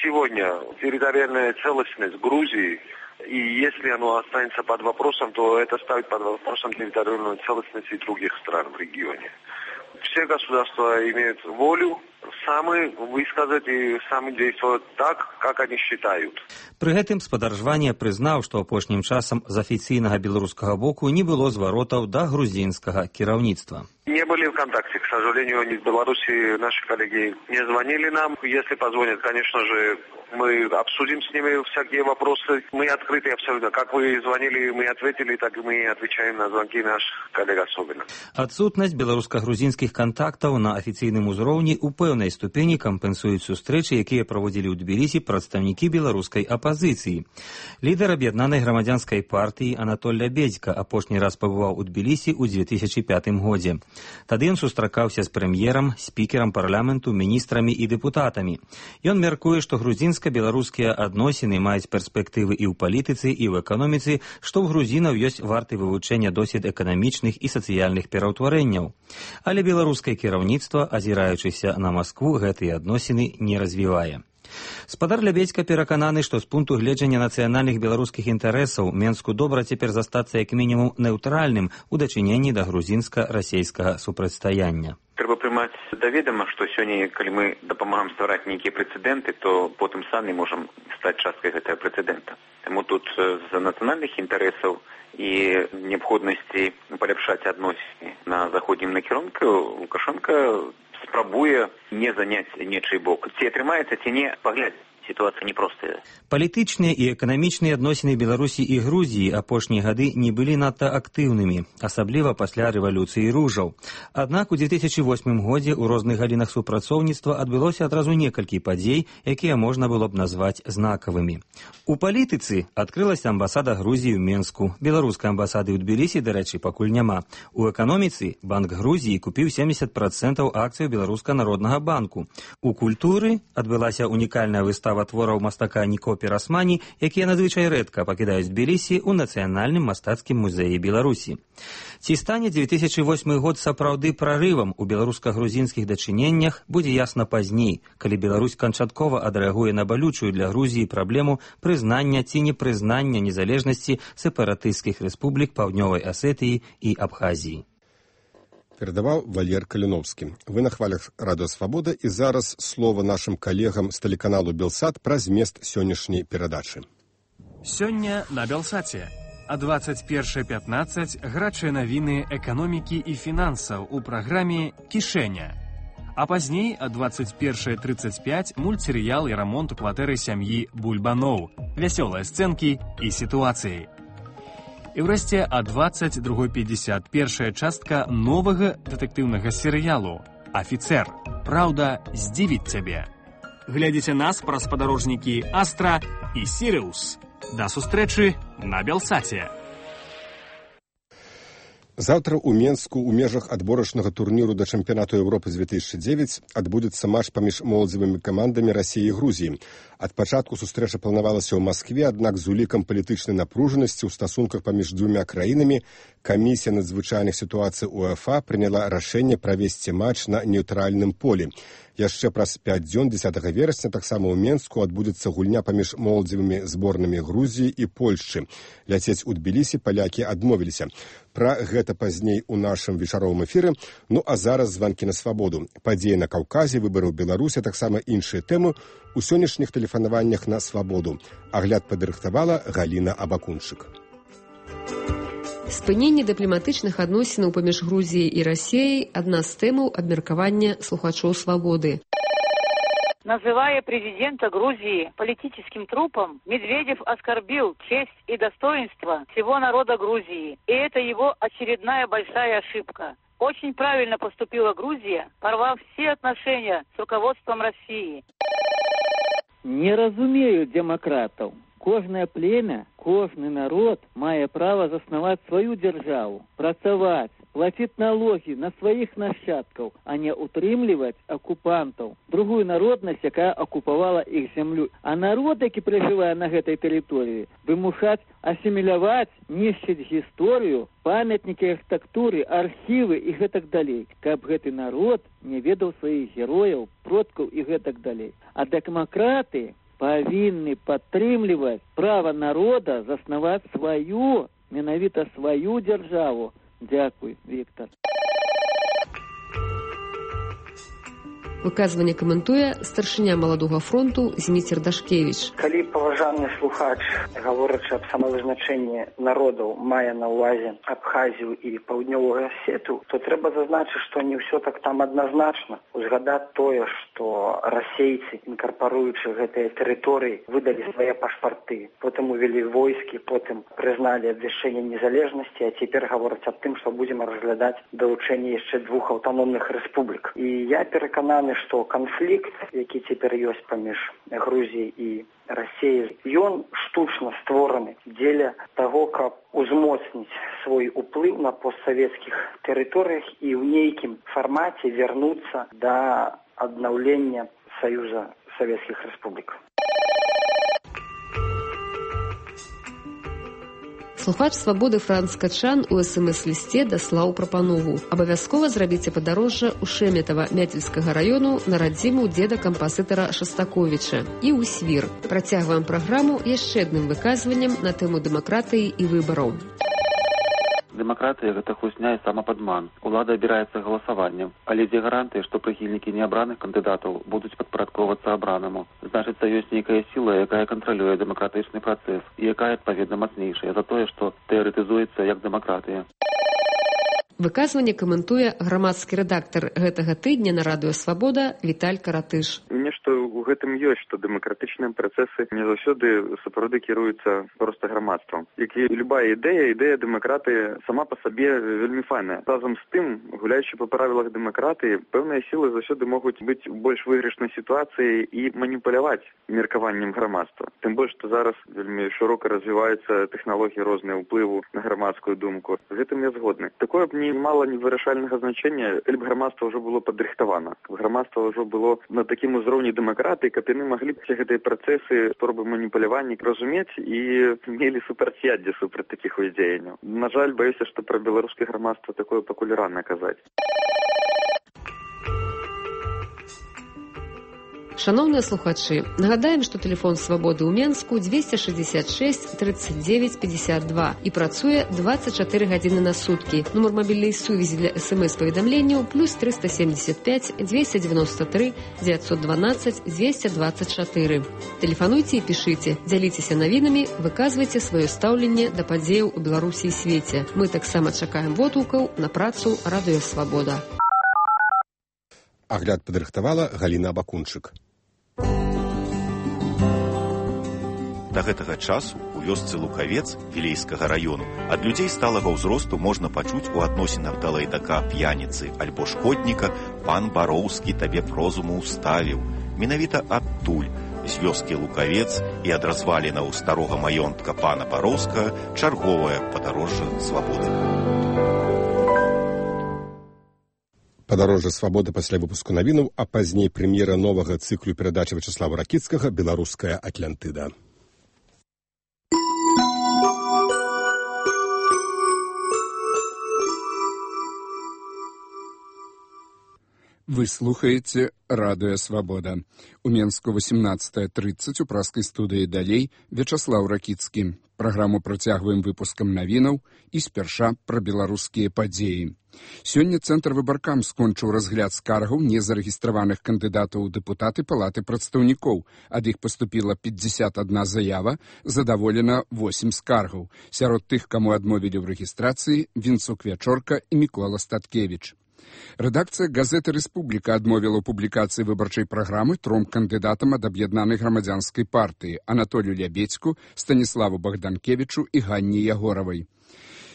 сегодня территориальная целостность Грузии, и если оно останется под вопросом, то это ставит под вопросом территориальную целостность и других стран в регионе. Все государства имеют волю сами высказать и сами действовать так, как они считают. Пры гэтым спадар Жванія прызнаў, што апошнім часам з афіцыйнага беларускага боку не было зваротаў да грузінскага кіраўніцтва. Не были в контакте, к сожалению, ни в Беларуси наши коллеги не звонили нам. Если позвонят, конечно же, мы обсудим с ними всякие вопросы. Мы открыты абсолютно. Как вы звонили, мы ответили, так и мы отвечаем на звонки наших коллег особенно. Адсутнасць беларуска-грузінскіх кантактаў на афіцыйным узроўні ў пэўнай ступені кампенсуюць сустрэчы, якія праводзілі ў Тбілісі прадстаўнікі беларускай апазіцыі. Лідар аб'яднанай грамадзянскай партыі Анатоль Лябедзька апошні раз пабываў у Тбілісі ў 2005 годзе. Тады ён сустракаўся з прэм'ерам, спікерам парламенту, міністрамі і дэпутатамі. Ён мяркуе, што грузінска-беларускія адносіны маюць перспектывы і ў палітыцы, і ў эканоміцы, што ў грузінаў ёсць варты вывучэння досвед эканамічных і сацыяльных пераўтварэнняў. Але беларускае кіраўніцтва, азіраючыся на Маскву, гэтыя адносіны не развівае. Спадар Лябедзька перакананы, што з пункту гледжання нацыянальных беларускіх інтарэсаў Менску добра цяпер застацца як мінімум нейтральным у дачыненні да грузінска-расейскага супрацьстаяння. Трэба прымаць да ведама, што сёння, калі мы дапамагаем ствараць нейкія прэцэдэнты, то потым самі можам стаць часткай гэтага прэцэдэнта. Таму тут з нацыянальных інтарэсаў і неабходнасці паляпшаць адносіны на заходнім накірунку Лукашенко спрабуе не заняць нечый бок. Ці атрымаецца, ці не, паглядзець. Ситуация непростая. Палітычныя і эканамічныя адносіны Беларусі і Грузіі апошнія гады не былі надта актыўнымі, асабліва пасля рэвалюцыі ружаў. Аднак у 2008 годзе ў розных галінах супрацоўніцтва адбылося адразу некалькі падзей, якія можна было б назваць знакавымі. У палітыцы адкрылася амбасада Грузіі ў Менску. Беларускай амбасады ў Тбілісі, дарэчы, пакуль няма. У эканоміцы Банк Грузіі купіў 70% акцыяў Беларуска-народнага банку. У культуры адбылася унікальная выстава твораў мастака Нико Пірасмані, якія надзвычай рэдка пакідаюць Тбілісі ў Нацыянальным мастацкім музеі Беларусі. Ці стане 2008 год сапраўды прарывам у беларуска-грузінскіх дачыненнях, будзе ясна пазней, калі Беларусь канчаткова адрэагуе на балючую для Грузіі праблему прызнання ці непрызнання незалежнасці сепаратысцкіх рэспублік Паўднёвай Асетыі і Абхазіі. Перадаваў Валер Каліновскі. Вы на хвалях Радыё Свабода, і зараз слова нашым калегам з тэлеканалу Белсат пра змест сённяшняй перадачы. Сёння на Белсаце. А 21:15 гарачыя навіны эканомікі і фінансаў у праграме «Кішэня». А пазней о 21:35 мультсерыял и ремонт у кватэры сям'і Бульбаноў, вясёлыя сцэнкі і сітуацыі. І ўрэшце о 22:50 першая частка новага дэтэктыўнага серыялу «Афіцэр. Праўда здзівіць цябе». Глядзіце нас праз спадарожнікі Астра і Сіриус. Да сустрэчы на Белсаце. Завтра ў Менску ў межах адборачнага турніру да чэмпіянату Еўропы 2009 адбудзецца матч паміж моладзевымі камандамі Расіі і Грузіі. Ад пачатку сустрэча планавалася ў Маскве, аднак з улікам палітычнай напружанасці ў стасунках паміж двумя краінамі камісія надзвычайных сітуацый УЕФА прыняла рашэнне правесці матч на нейтральным полі. Яшчэ праз 5 дзён 10 верасня таксама ў Менску адбудзецца гульня паміж моладзевымі зборнымі Грузіі і Польшчы. Ляцець у Тбілісі палякі адмовіліся. Пра гэта пазней у нашым вечаровым эфіры. Ну а зараз званкі на свабоду. Падзеі на Каўказе, выбары ў Беларусі, таксама іншыя тэмы у сённяшніх тэлефанаваннях на свабоду. Агляд падрыхтавала Галіна Абакунчык. Спыненне дыпламатычных адносінаў паміж Грузіяй і Расіяй – адна з тэмаў абмеркавання слухачоў «Свободы». Называя президента Грузии политическим трупом, Медведев оскорбил честь и достоинство всего народа Грузии. И это его очередная большая ошибка. Очень правильно поступила Грузия, порвав все отношения с руководством России. Не разумею демократов. Кожное племя, кожный народ мае право заснаваць свою державу, працаваць, платить налоги на своих нащадков, а не утрымліваць оккупантов, другую народность, якая оккупавала их землю. А народ, які проживае на гэтай тэрыторыі, вымушаць асіміляваць, нішчыць гісторыю, памятнікі архітэктуры, архівы і гэтак далей, каб гэты народ не ведаў сваіх герояў, продкаў і гэтак далей. А дэмакраты павінны падтрымліваць права народа заснаваць сваю, менавіта сваю дзяржаву. Дзякуй, Віктор. Выказванне каментуе старшыня маладога фронту Зміцер Дашкевіч. Калі паважаны слухач, гаворачы аб самавызначэнні народаў, мае на ўвазе Абхазію і Паўднёвую Асетыю, то трэба зазначыць, што не ўсё так там адназначна. Узгадаць тое, што расейцы, інкарпаруючы гэтыя тэрыторыі, выдалі свае пашпарты, потым увялі войскі, потым прызналі абвяшчэнне незалежнасці, а цяпер гавораць аб тым, што будзем разглядаць далучэнне яшчэ 2 аўтаномных рэспублік. І я перакананы, што канфлікт, які цяпер ёсць паміж Грузіяй і Расіяй, ён штучна створаны дзеля таго, каб узмоцніць свой уплыў на постсавецкіх тэрыторыях і ў нейкім фармаце вярнуцца да аднаўлення Саюза Савецкіх Рэспублік. Слухач «Свабоды» Франц Качан у СМС-лісце даслаў прапанову. Абавязкова зрабіце падарожжа ў Шэметава Мяцельскага раёну на радзіму дзеда кампазітара Шастаковіча і ў Свір. Працягваем праграму яшчэ адным выказваннем на тэму дэмакратыі і выбараў. Дэмакратыя – гэта хлусня і самападман. Улада абіраецца галасаваннем. Але дзе гарантыі, што прыхільнікі неабраных кандыдатаў будуць падпарадковацца абранаму? Значыцца, ёсць нейкая сіла, якая кантралюе дэмакратычны працэс і якая, адпаведна, мацнейшая за тое, што тэарэтызуецца як дэмакратыя. Выказванне каментуе грамадскі рэдактар гэтага тыдня на радыё «Свабода» Віталь Каратыш. Нешта ў гэтым ёсць, што дэмакратычныя працэсы не заўсёды сапраўды кіруюцца проста грамадствам. Як і любая ідэя дэмакратыі сама па сабе вельмі файная. Разам з тым, гуляючы па правілах дэмакратыі, пэўныя сілы заўсёды могуць быць у больш выйгрышнай сітуацыі і маніпуляваць меркаваннем грамадства. Тым больш, што зараз вельмі шырока развіваюцца тэхналогіі розныя ўплыву на грамадскую думку. З гэтым я згодны. Такое б не мала невырашальнага значэння, калі б грамадства ўжо было падрыхтавана. Каб грамадства ўжо было на такім узроўні дэмакратыі, каб яны маглі б гэтыя працэсы, спробы маніпулявання разумець і мелі супрацьяддзе супраць такіх дзеянняў. На жаль, баюся, што пра беларускае грамадства такое пакуль рана казаць. Шановныя слухачы, нагадаем, што тэлефон «Свабоды» ў Менску 266 39 52 і працуе 24 гадзіны на суткі. Нумар мабільнай сувязі для СМС-паведамленняў +375 293 912 224. Тэлефануйце і пішыце, дзяліцеся навінамі, выказвайце сваё стаўленне да падзеяў у Беларусі і свеце. Мы таксама чакаем водгукаў на працу радыё «Свабода». Агляд падрыхтавала Галіна Абакунчык. Да гэтага часу у вёсцы Лукавец Вілейскага раёну ад людзей сталага ўзросту можна пачуць у адносінах да лайдака, п'яніцы альбо шкодніка «Пан Бароўскі табе прозуму ўставіў». Менавіта адтуль, з вёскі Лукавец і ад развалінаў старога маёнтка пана Бароўскага чарговае падарожжа свабоды. Падарожжа свабоды пасля выпуску навінаў, а пазней прэм'ера новага цыклу перадачы Вячаслава Ракіцкага «Беларуская Атлантыда». Вы слухаеце радыё «Свабода». У Менску 18:30 у праскай студыі далей Вячаслаў Ракіцкі. Праграму працягваем выпускам навінаў і спярша пра беларускія падзеі. Сёння Цэнтр выбаркам скончыў разгляд скаргаў незарэгістраваных кандыдатаў у дэпутаты Палаты прадстаўнікоў. Ад іх паступіла 51 заява, задаволена 8 скаргаў. Сярод тых, каму адмовілі ў рэгістрацыі, Вінцук Вячорка і Мікола Статкевіч. Рэдакцыя газеты «Рэспубліка» адмовіла ў публікацыі выбарчай праграмы 3 кандыдатам ад аб'яднанай грамадзянскай партыі Анатолію Лябедзьку, Станіславу Богданкевічу і Ганне Ягоравай.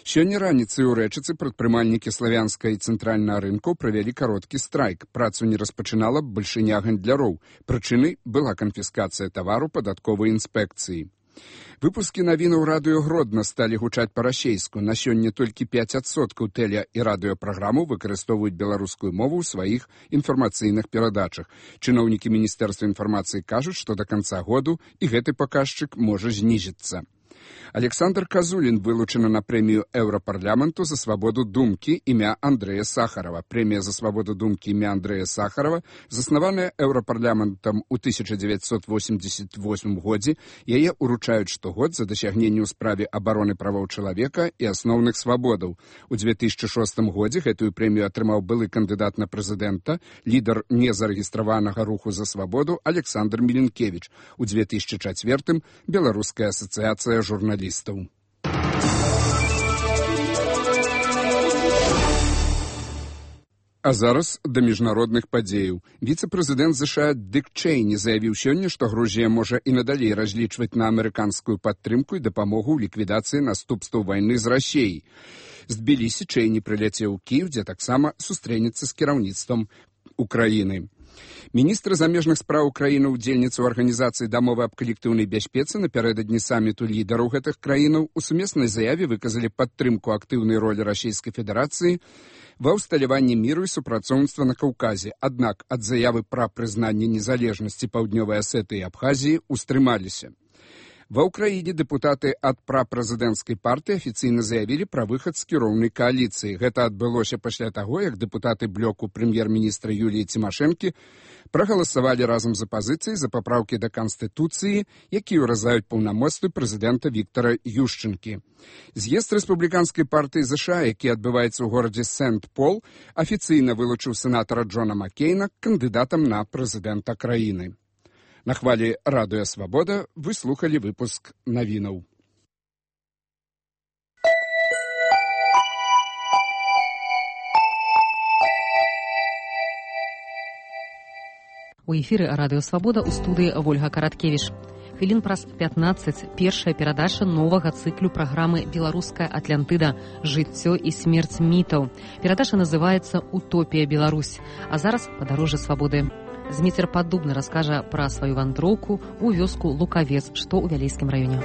Сёння раніцай у Рэчыцы прадпрымальнікі славянскай і цэнтральнага рынкаў правялі кароткі страйк. Працу не распачынала бальшыня гандляроў. Прычынай была канфіскацыя тавару падатковай інспекцыі. Выпускі навінаў радыё Гродна сталі гучаць па-расейску. На сёння толькі 5% тэле- і радыёпраграмаў выкарыстоўваюць беларускую мову ў сваіх інфармацыйных перадачах. Чыноўнікі Міністэрства інфармацыі кажуць, што да канца году і гэты паказчык можа знізіцца. Александр Казулін вылучаны на прэмію Еўрапарламенту за свабоду думкі імя Андрэя Сахарова. Прэмія за свабоду думкі імя Андрэя Сахарова, заснаваная Еўрапарламентам у 1988 годзе, яе уручаюць штогод за дасягненне ў справе абароны правоў чалавека і асноўных свабодаў. У 2006 годзе гэтую прэмію атрымаў былы кандыдат на прэзідэнта, лідар незарэгістраванага руху за свабоду Александр Міленкевіч. У 2004 Беларуская асацыяцыя журналістаў. А зараз да міжнародных падзеяў. Віцэ-прэзідэнт США Дык Чэйні заявіў сёння, што Грузія можа і надалей разлічваць на амерыканскую падтрымку і дапамогу ў ліквідацыі наступстваў вайны з Расіяй. З Тбілісі Чэйні прыляцеў у Кіеў, дзе таксама сустрэнецца з кіраўніцтвам Украіны. Міністр замежных спраў краіны ўдзельніца ў арганізацыі дамовы аб калектыўнай бяспецы напярэдадні саміту лідараў гэтых краінаў у сумеснай заяве выказалі падтрымку актыўнай ролі Расійскай Федэрацыі ва ўсталяванні міру і супрацоўніцтва на Каўказе. Аднак ад заявы пра прызнанне незалежнасці Паўднёвай Асетыі і Абхазіі устрымаліся. Ва ўкраіне дэпутаты ад прапрэзідэнцкай партыі афіцыйна заявілі пра выхад з кіроўнай кааліцыі. Гэта адбылося пасля таго, як дэпутаты блоку прэм'ер-міністра Юліі Цімашэнкі прагаласавалі разам з апазіцыяй за папраўкі да Канстытуцыі, якія ўразаюць паўнамоцтвы прэзідэнта Віктара Юшчэнкі. З'езд рэспубліканскай партыі США, які адбываецца ў горадзе Сент-Пол, афіцыйна вылучыў сенатара Джона Маккейна кандыдатам на прэзідэнта краіны. На хвалі радыё «Свабода» вы слухалі выпуск навінаў. У эфіры радыё «Свабода» у студыі Вольга Караткевіч. Хвілін праз 15 першая перадача новага цыклю праграмы «Беларуская Атлантыда. Жыццё і смерць мітаў». Перадача называецца «Утопія Беларусь». А зараз падарожжа свабоды. Зміцер Паддубны раскажа пра сваю вандроўку ў вёску Лукавец, што ў Вялейскім раёне.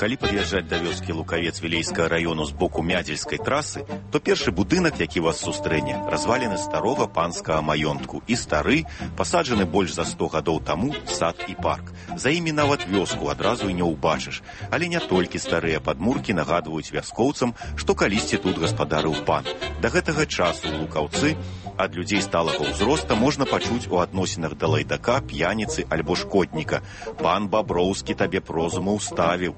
Калі пад'язджаць да вёскі Лукавец Вілейскага раёну з боку Мядзельскай трасы, то першы будынак, які вас сустрэне, разваліны старога панскага маёнтку і стары, пасаджаны больш за 100 гадоў таму сад і парк. За імі нават вёску адразу і не ўбачыш. Але не толькі старыя падмуркі нагадваюць вяскоўцам, што калісьці тут гаспадарыў пан. Да гэтага часу ў Лукаўцы ад людзей сталага ўзроста можна пачуць у адносінах да лайдака, п'яніцы альбо шкодніка. Пан Баброўскі табе прозуму ўставіў.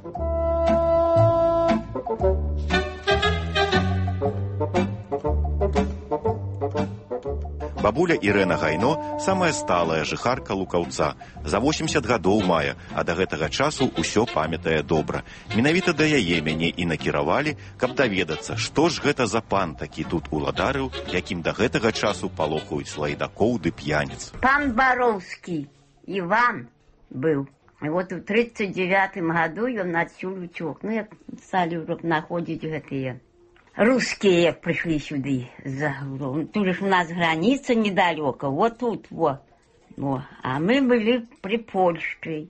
Бабуля Ірэна Гайно самая сталая жыхарка Лукаўца. За 80 гадоў мае, а да гэтага часу ўсё памятае добра. Менавіта да яе мяне і накіравалі, каб даведацца, што ж гэта за пан такі тут уладарыў, якім да гэтага часу палохаюць лайдакоў ды п'яніц. Пан Бароўскі Іван быў. І вот у 39-м году ён адсюль уцёк. Ну, як сталі находзіць гэтыя русские, як прыйшлі сюды за гуру. Тут же у нас граница недалеко, вот тут, вот. А мы были при Польше.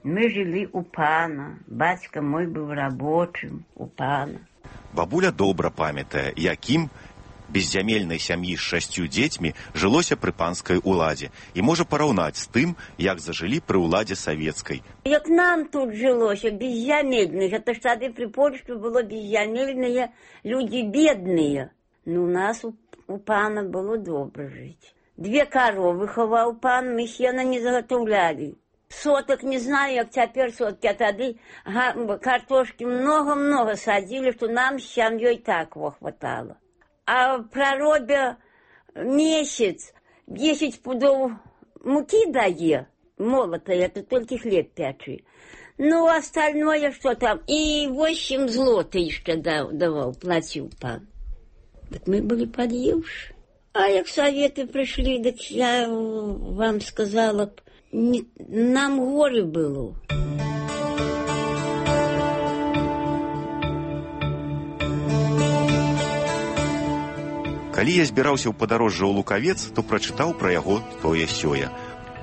Мы жили у пана. Батька мой был рабочим у пана. Бабуля добра памятае, якім беззямельнай сям'і з 6 дзецьмі жылося пры панскай уладзе і можа параўнаць з тым, як зажылі пры уладзе савецкай. Як нам тут жылося, беззямельных, это ж тады пры Польшчы было беззямельныя, люди бедныя. Ну, у нас у пана было добра жыць. 2 коровы хаваў пан, мы сена не заготовляли. Соток не знаю, як цяпер соткі, а тады картошкі много-много садзілі, што нам з сям'ёй так хватало. А проробя месяц 10 пудов муки дае, молотая, это только хлеб пячи. Ну, остальное что там? И 8 злотых еще давал, платил пан. Так мы были подъевши. А як советы пришли, так я вам сказала, нам горе было. Калі я збіраўся ў падарожжа ў Лукавец, то прачытаў пра яго тое-сёе.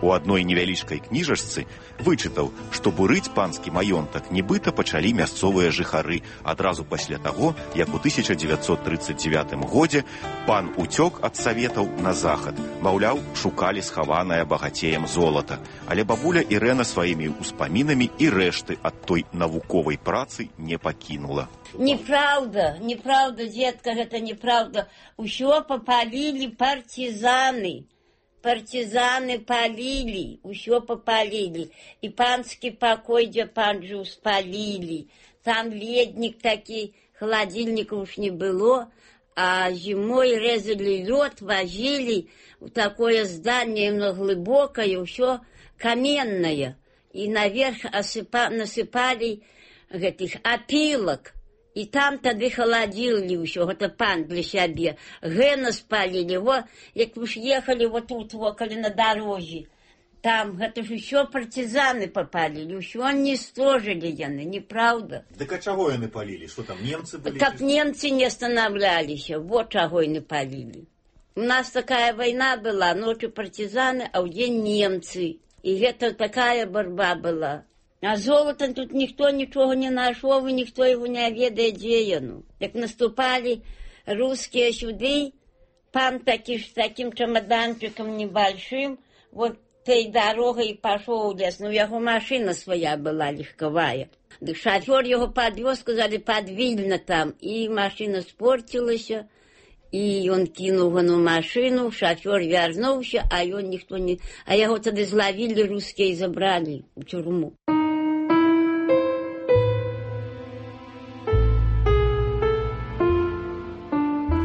У адной невялічкай кніжачцы вычытаў, што бурыць панскі маёнтак нібыта пачалі мясцовыя жыхары адразу пасля таго, як у 1939 годзе пан уцёк ад саветаў на захад. Маўляў, шукалі схаванае багацеем золата. Але бабуля Ірэна сваімі ўспамінамі і рэшты ад той навуковай працы не пакінула. Неправда, детка, гэта неправда. Усё попалили партизаны. Партизаны палили, усё попалили. И панский покой, где пан жил, спалили. Там ледник такой, холодильника уж не было. А зимой резали лед, возили в такое здание глубокое, усё каменное. И наверх насыпали этих опилок. И там тады холодили ўсё, гэта пан для сябе. Гэна спалили, вот, як вы ж ехали вот тут, около на дороге. Там, гэта ж усё партизаны попалили, усё уничтожили яны, неправда. Так а чаго яны палили? Что там, немцы были? Как немцы не останавливались, вот чаго яны палили. У нас такая война была, ночью партизаны, а в день немцы. И это такая борьба была. А золотом тут никто ничего не нашел, и никто его не ведает, где оно. Как наступали русские сюда, пан таки с таким чемоданчиком небольшим, вот той дорогой пошел в лес. Ну, его машина своя была легковая. Да шофер его подвез, сказали, подвильно там. И машина спортилась, и он кинул на машину, шофер вернулся, а он никто не... А его тогда зловили русские и забрали в тюрьму.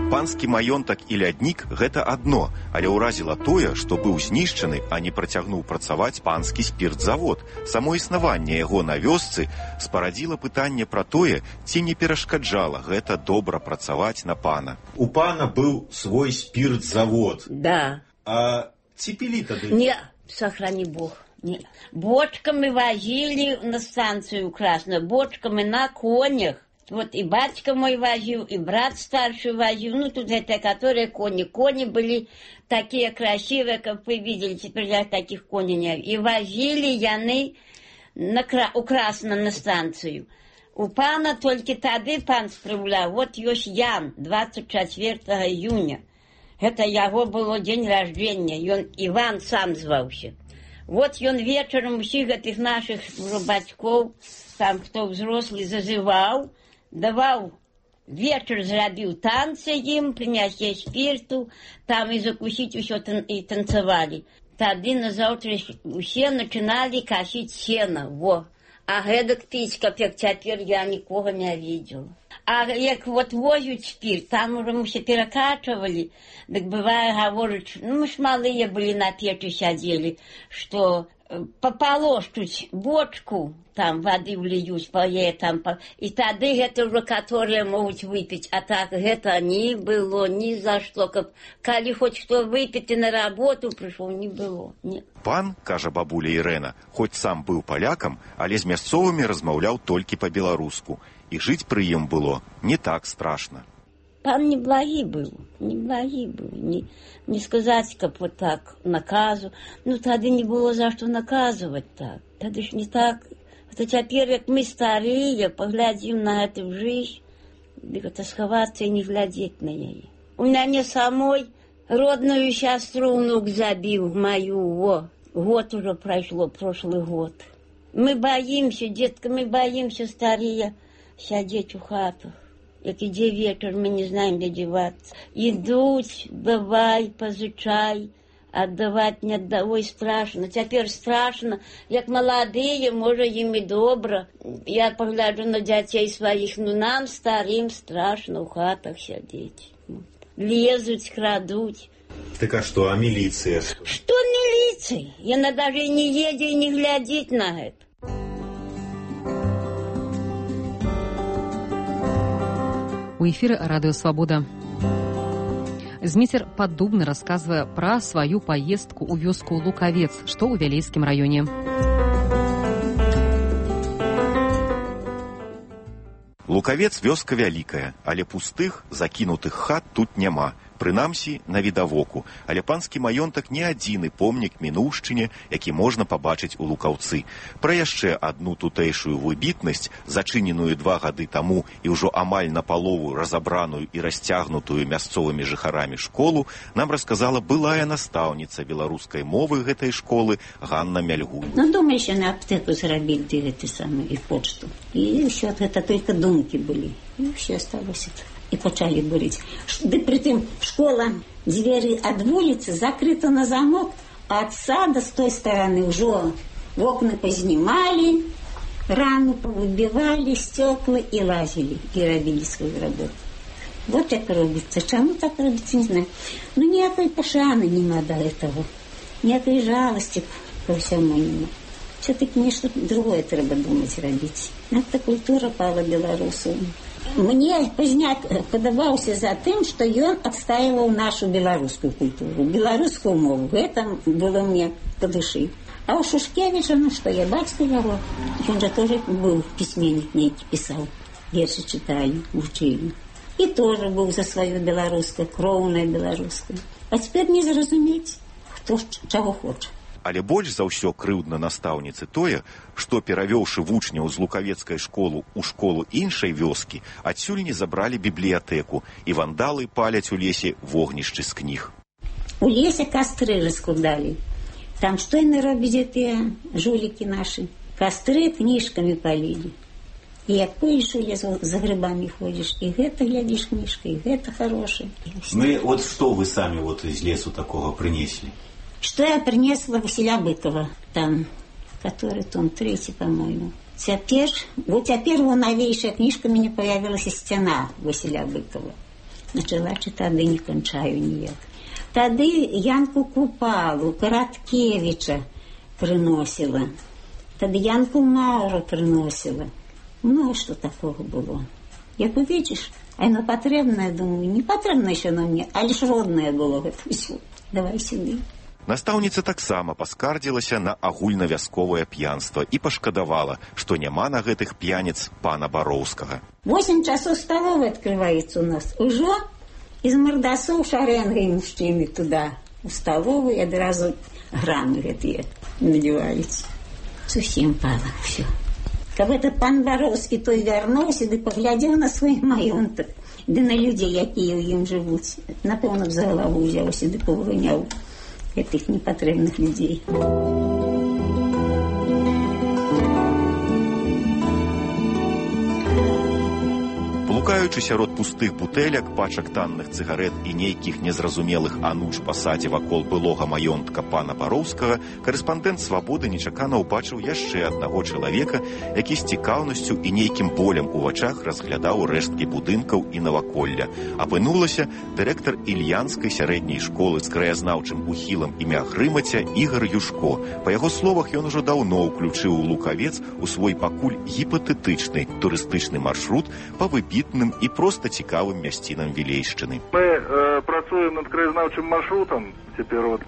Панскі маёнтак і ляднік – гэта адно, але ўразіла тое, што быў знішчаны, а не працягнуў працаваць панскі спіртзавод. Само існаванне яго на вёсцы спарадзіла пытанне пра тое, ці не перашкаджала гэта добра працаваць на пана. У пана быў свой спіртзавод. Да. А ці пілі тады? Не, сохрани Бог. Не. Бочками возили на станцию Красную, бочками на конях. Вот и батька мой возил, и брат старший возил. Ну, тут это, которые кони. Кони были такие красивые, как вы видели. Теперь я таких коней не видел. И возили яны у Красном на станцию. У пана только тады пан справлял. Вот ёсць Ян, 24 июня. Это его было день рождения. И он Иван сам звался. Вот он вечером всех этих наших батьков, там кто взрослый, зазывал. Давал вечер, зрабіў танцы им, принесли спирту, там и закусить все и танцевали. Тады на завтра все начинали косить сено, во. А гэтак пить, как теперь я никого не видела. А як вот возят спирт, там уже мы все перекачивали, так бывает, говорят, ну мы ж малые были на печи сидели, что пополоштуть бочку, там воды влиюсь, и тогда это уже, которые могут выпить, а так это не было ни за что, как коли хоть что выпить и на работу пришел, не было. Не. Пан, кажа бабуля Ірэна, хоць сам быў палякам, але з мясцовымі размаўляў толькі па-беларуску, і жыць пры ім было не так страшна. Пан неблагий был, не сказать, как вот так, наказу. Ну, тогда не было за что наказывать так. Тогда ж не так. А теперь, как мы старые, поглядим на эту жизнь, это сховаться и не глядеть на нее. У меня не самой родную сестру внук забил, мою, год уже прошло, прошлый год. Мы боимся, детка, мы боимся старые сидеть у хатах. Як іде вечер, мы не знаем, где деваться. Идут, давай, позычай, отдавать не отдавай, страшно. Теперь страшно, як молодые, может, им и добро. Я погляжу на детей своих, но нам, старым, страшно в хатах сидеть. Лезут, крадут. Так а что, а милиция? Что милиция? Она даже и не едет, и не глядит на это. У эфіры радыё Свабода. Зміцер Паддубны расказвае пра сваю паездку ў вёску Лукавец, што ў Вялейскім раёне. Лукавец вёска вялікая, але пустых, закінутых хат тут няма. Прынамсі, на відавоку, але панскі маёнтак не адзіны помнік мінуўшчыне, які можна пабачыць у Лукаўцы. Пра яшчэ адну тутэйшую выбітнасць, зачыненую 2 гады таму і ўжо амаль напалову разабраную і расцягнутую мясцовымі жыхарамі школу, нам расказала былая настаўніца беларускай мовы гэтай школы Ганна Мяльгунь. Ну, думаю, еще на аптеку заработать, гэты самый, и почту. И все это только думки были. И все осталось это. И почали бурить. Да при том школа, двери от улицы закрыты на замок, а от сада с той стороны уже окна познимали, рамы повыбивали, стекла и лазили, и робили свою работу. Вот так робится. Чему так робится, не знаю. Но никакой пошаны не надо этого. Никакой жалости ко всему не надо. Все-таки мне что-то другое треба думать, робить. Это культура пала белорусу. Мне Позняк подавался за тем, что он отстаивал нашу белорусскую культуру, белорусскую мову. Это было мне по душе. А у Шушкевича, ну что, я батька его. Он же тоже был письменник, некий писал. Верши читали, учили. И тоже был за свою белорусскую, кровное белорусское. А теперь не заразуметь, кто чего хочет. Але больш за ўсё крыўдна настаўніцы тое, што, перавёўшы вучняў з лукавецкай школы ў школу іншай вёскі, адсюль не забралі бібліятэку, і вандалы паляць у лесе вогнішчы з кніг. У лесе кастры раскладали. Там что они робят, эти жулики наши? Костры книжками полили. И як поешь у лесу, за грибами ходишь, и это глядишь книжка, и это хорошее. Ну вот что вы сами вот из лесу такого принесли? Что я принесла Василя Быкова, там, который том 3, по-моему. Теперь его новейшая книжка мне появилась «Стена» Василя Быкова. Начала читать, да не кончаю ніяк. Тогда Янку Купалу, Короткевича приносила. Тогда Янку Мауру приносила. Ну, что такого было? Як увидишь, оно потребное, думаю, не потребное еще на мне, а лишь родное было это все. Давай сюда. Настаўніца таксама паскардзілася на агульнавясковае п'янства і пашкадавала, што няма на гэтых п'яніц пана Бароўскага. 8 часов столовой открывается у нас. Уже из мордасов шаренгой мужчины туда, в столовую, и одразу граммы гэтые надеваются. Совсем пало все. Как этот пан Бароўскі той вярнуўся, ды поглядел на свой маёнтак, ды на людей, якія ў ім жывуць. Напэўна, за голову ўзяўся, ды павыганяў этих непотребных людей. В Шукаючы сярод пустых бутэлек, пачак танных цыгарэт і нейкіх незразумелых ануч па садзе вакол былога маёнтка пана Бароўскага, карэспандэнт «Свабоды» нечакана ўбачыў яшчэ аднаго чалавека, які з цікаўнасцю і нейкім болем у вачах разглядаў рэшткі будынкаў і наваколля. Апынулася дырэктар Ільянскай сярэдняй школы з краязнаўчым ухілам імя Грымаця Ігар Юшко. Па яго словах, ён ужо даўно ўключыў Лукавец у свой пакуль гіпатэтычны турыстычны маршрут па выбітным і проста цікавым мясцінам Вілейшчыны. Мы працуем над краязнаўчым маршрутам, цяпер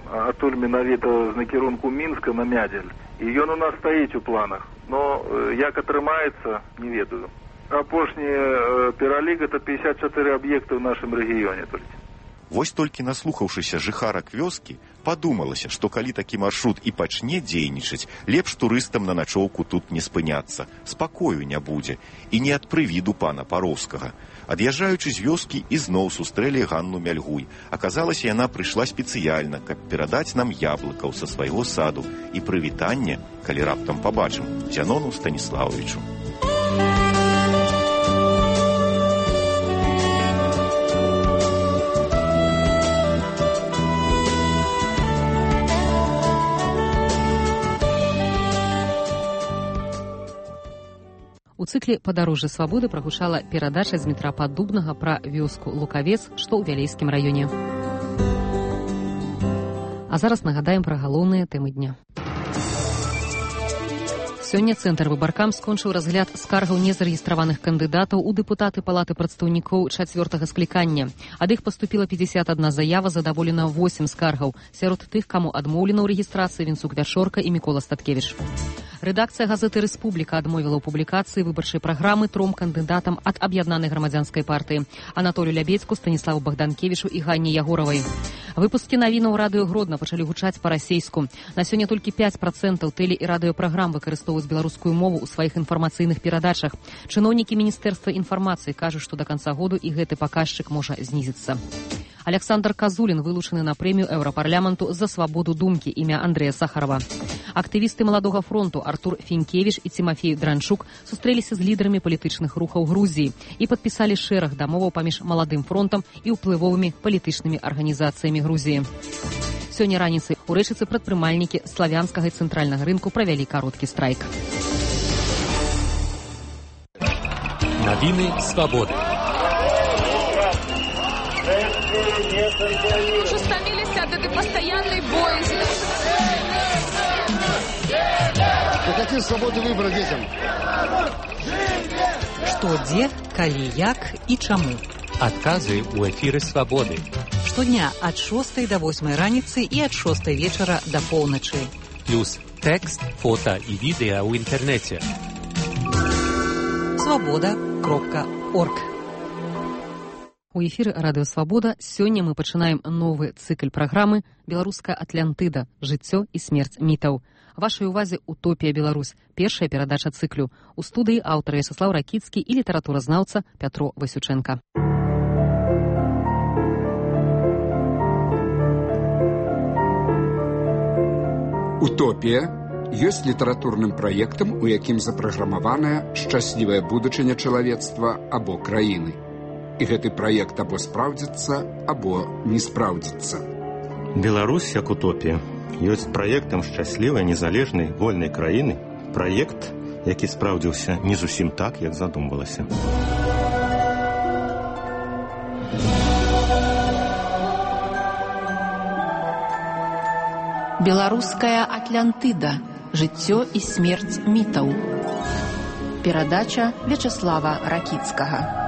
адтуль менавіта з накірунку Мінска на Мядзель. І ён у нас стаіць у планах. Но як атрымаецца, не ведаю. Апошні пералік — это 54 аб'екты ў нашым рэгіёне толькі. Вось толькі наслухаўшыся жыхарак вёскі, падумалася, што калі такі маршрут і пачне дзейнічаць, лепш турыстам на начоўку тут не спыняцца, спакою не будзе, і не ад прывіду пана Пароўскага. Ад'язджаючы з вёскі, ізноў сустрэлі Ганну Мяльгуй. Аказалася, яна прыйшла спецыяльна, каб перадаць нам яблыкаў са свайго саду і прывітанне, калі раптам пабачым, Зянону Станіславовичу. У цыкле «Падарожжа свабоды» прагучала перадача з Дмітра Паддубнага пра вёску Лукавец, што ў Вялейскім раёне. А зараз нагадаем пра галоўныя тэмы дня. Сёння Цэнтр Выбаркам скончыў разгляд скаргаў незарэгістраваных кандыдатаў у дэпутаты Палаты прадстаўнікоў 4-га склікання. Ад іх паступіла 51 заява, задаволена 8 скаргаў. Сярод тых, каму адмоўлена ў рэгістрацыі, Вінцук-Вяшорка і Мікола Статкевіч. Рэдакцыя газеты «Рэспубліка» адмовіла ў публікацыі выбарчай праграмы 3 кандыдатам ад аб'яднанай грамадзянскай партыі – Анатолію Лябедзьку, Станіславу Богданкевічу і Ганне Ягоравай. Выпускі навінаў радыё Гродна пачалі гучаць па-расейску. На сёння толькі 5% тэле- і радыёпраграм выкарыстоўваюць беларускую мову ў сваіх інфармацыйных перадачах. Чыноўнікі Міністэрства інфармацыі кажуць, што да канца году і гэты паказчык можа знізіцца. Александр Казулін вылучаны на прэмію Еўрапарламенту за свабоду думкі імя Андрэя Сахарова. Актывісты Маладога фронту Артур Фінкевіч і Цімафей Дранчук сустрэліся з лідарамі палітычных рухаў Грузіі і падпісалі шэраг дамоваў паміж Маладым фронтам і ўплывовымі палітычнымі арганізацыямі Грузіі. Сёння раніцай у Рэчыцы прадпрымальнікі славянскага і цэнтральнага рынку правялі кароткі страйк. Навіны свабоды. Уже стомились от этой постоянной боязни. Какие свободы выбора детям? Што, дзе, калі, як і чаму. Адказы ў эфіры свабоды. Штодня ад 6 до 8 раніцы і ад 6 вечара до поўначы. Плюс тэкст, фота і відэа ў інтэрнэце. Свабода.орг. У эфіры радыё «Свабода» сёння мы пачынаем новы цыкл праграмы «Беларуская Атлантыда. Жыццё і смерць мітаў». Вашай увазе «Утопія Беларусь», першая перадача цыклю. У студыі аўтар Вячаслаў Ракіцкі і літаратуразнаўца Пятро Васюченко. «Утопія» ёсць літаратурным праектам, у якім запраграмаваная шчаслівая будучыня чалавецтва або краіны. І гэты праект або спраўдзіцца, або не спраўдзіцца. Беларусь як утопія ёсць праектам шчаслівай, незалежнай, вольнай краіны. Праект, які спраўдзіўся не зусім так, як задумвалася. Беларуская Атлантыда. Жыццё і смерць мітаў. Перадача Вячаслава Ракіцкага.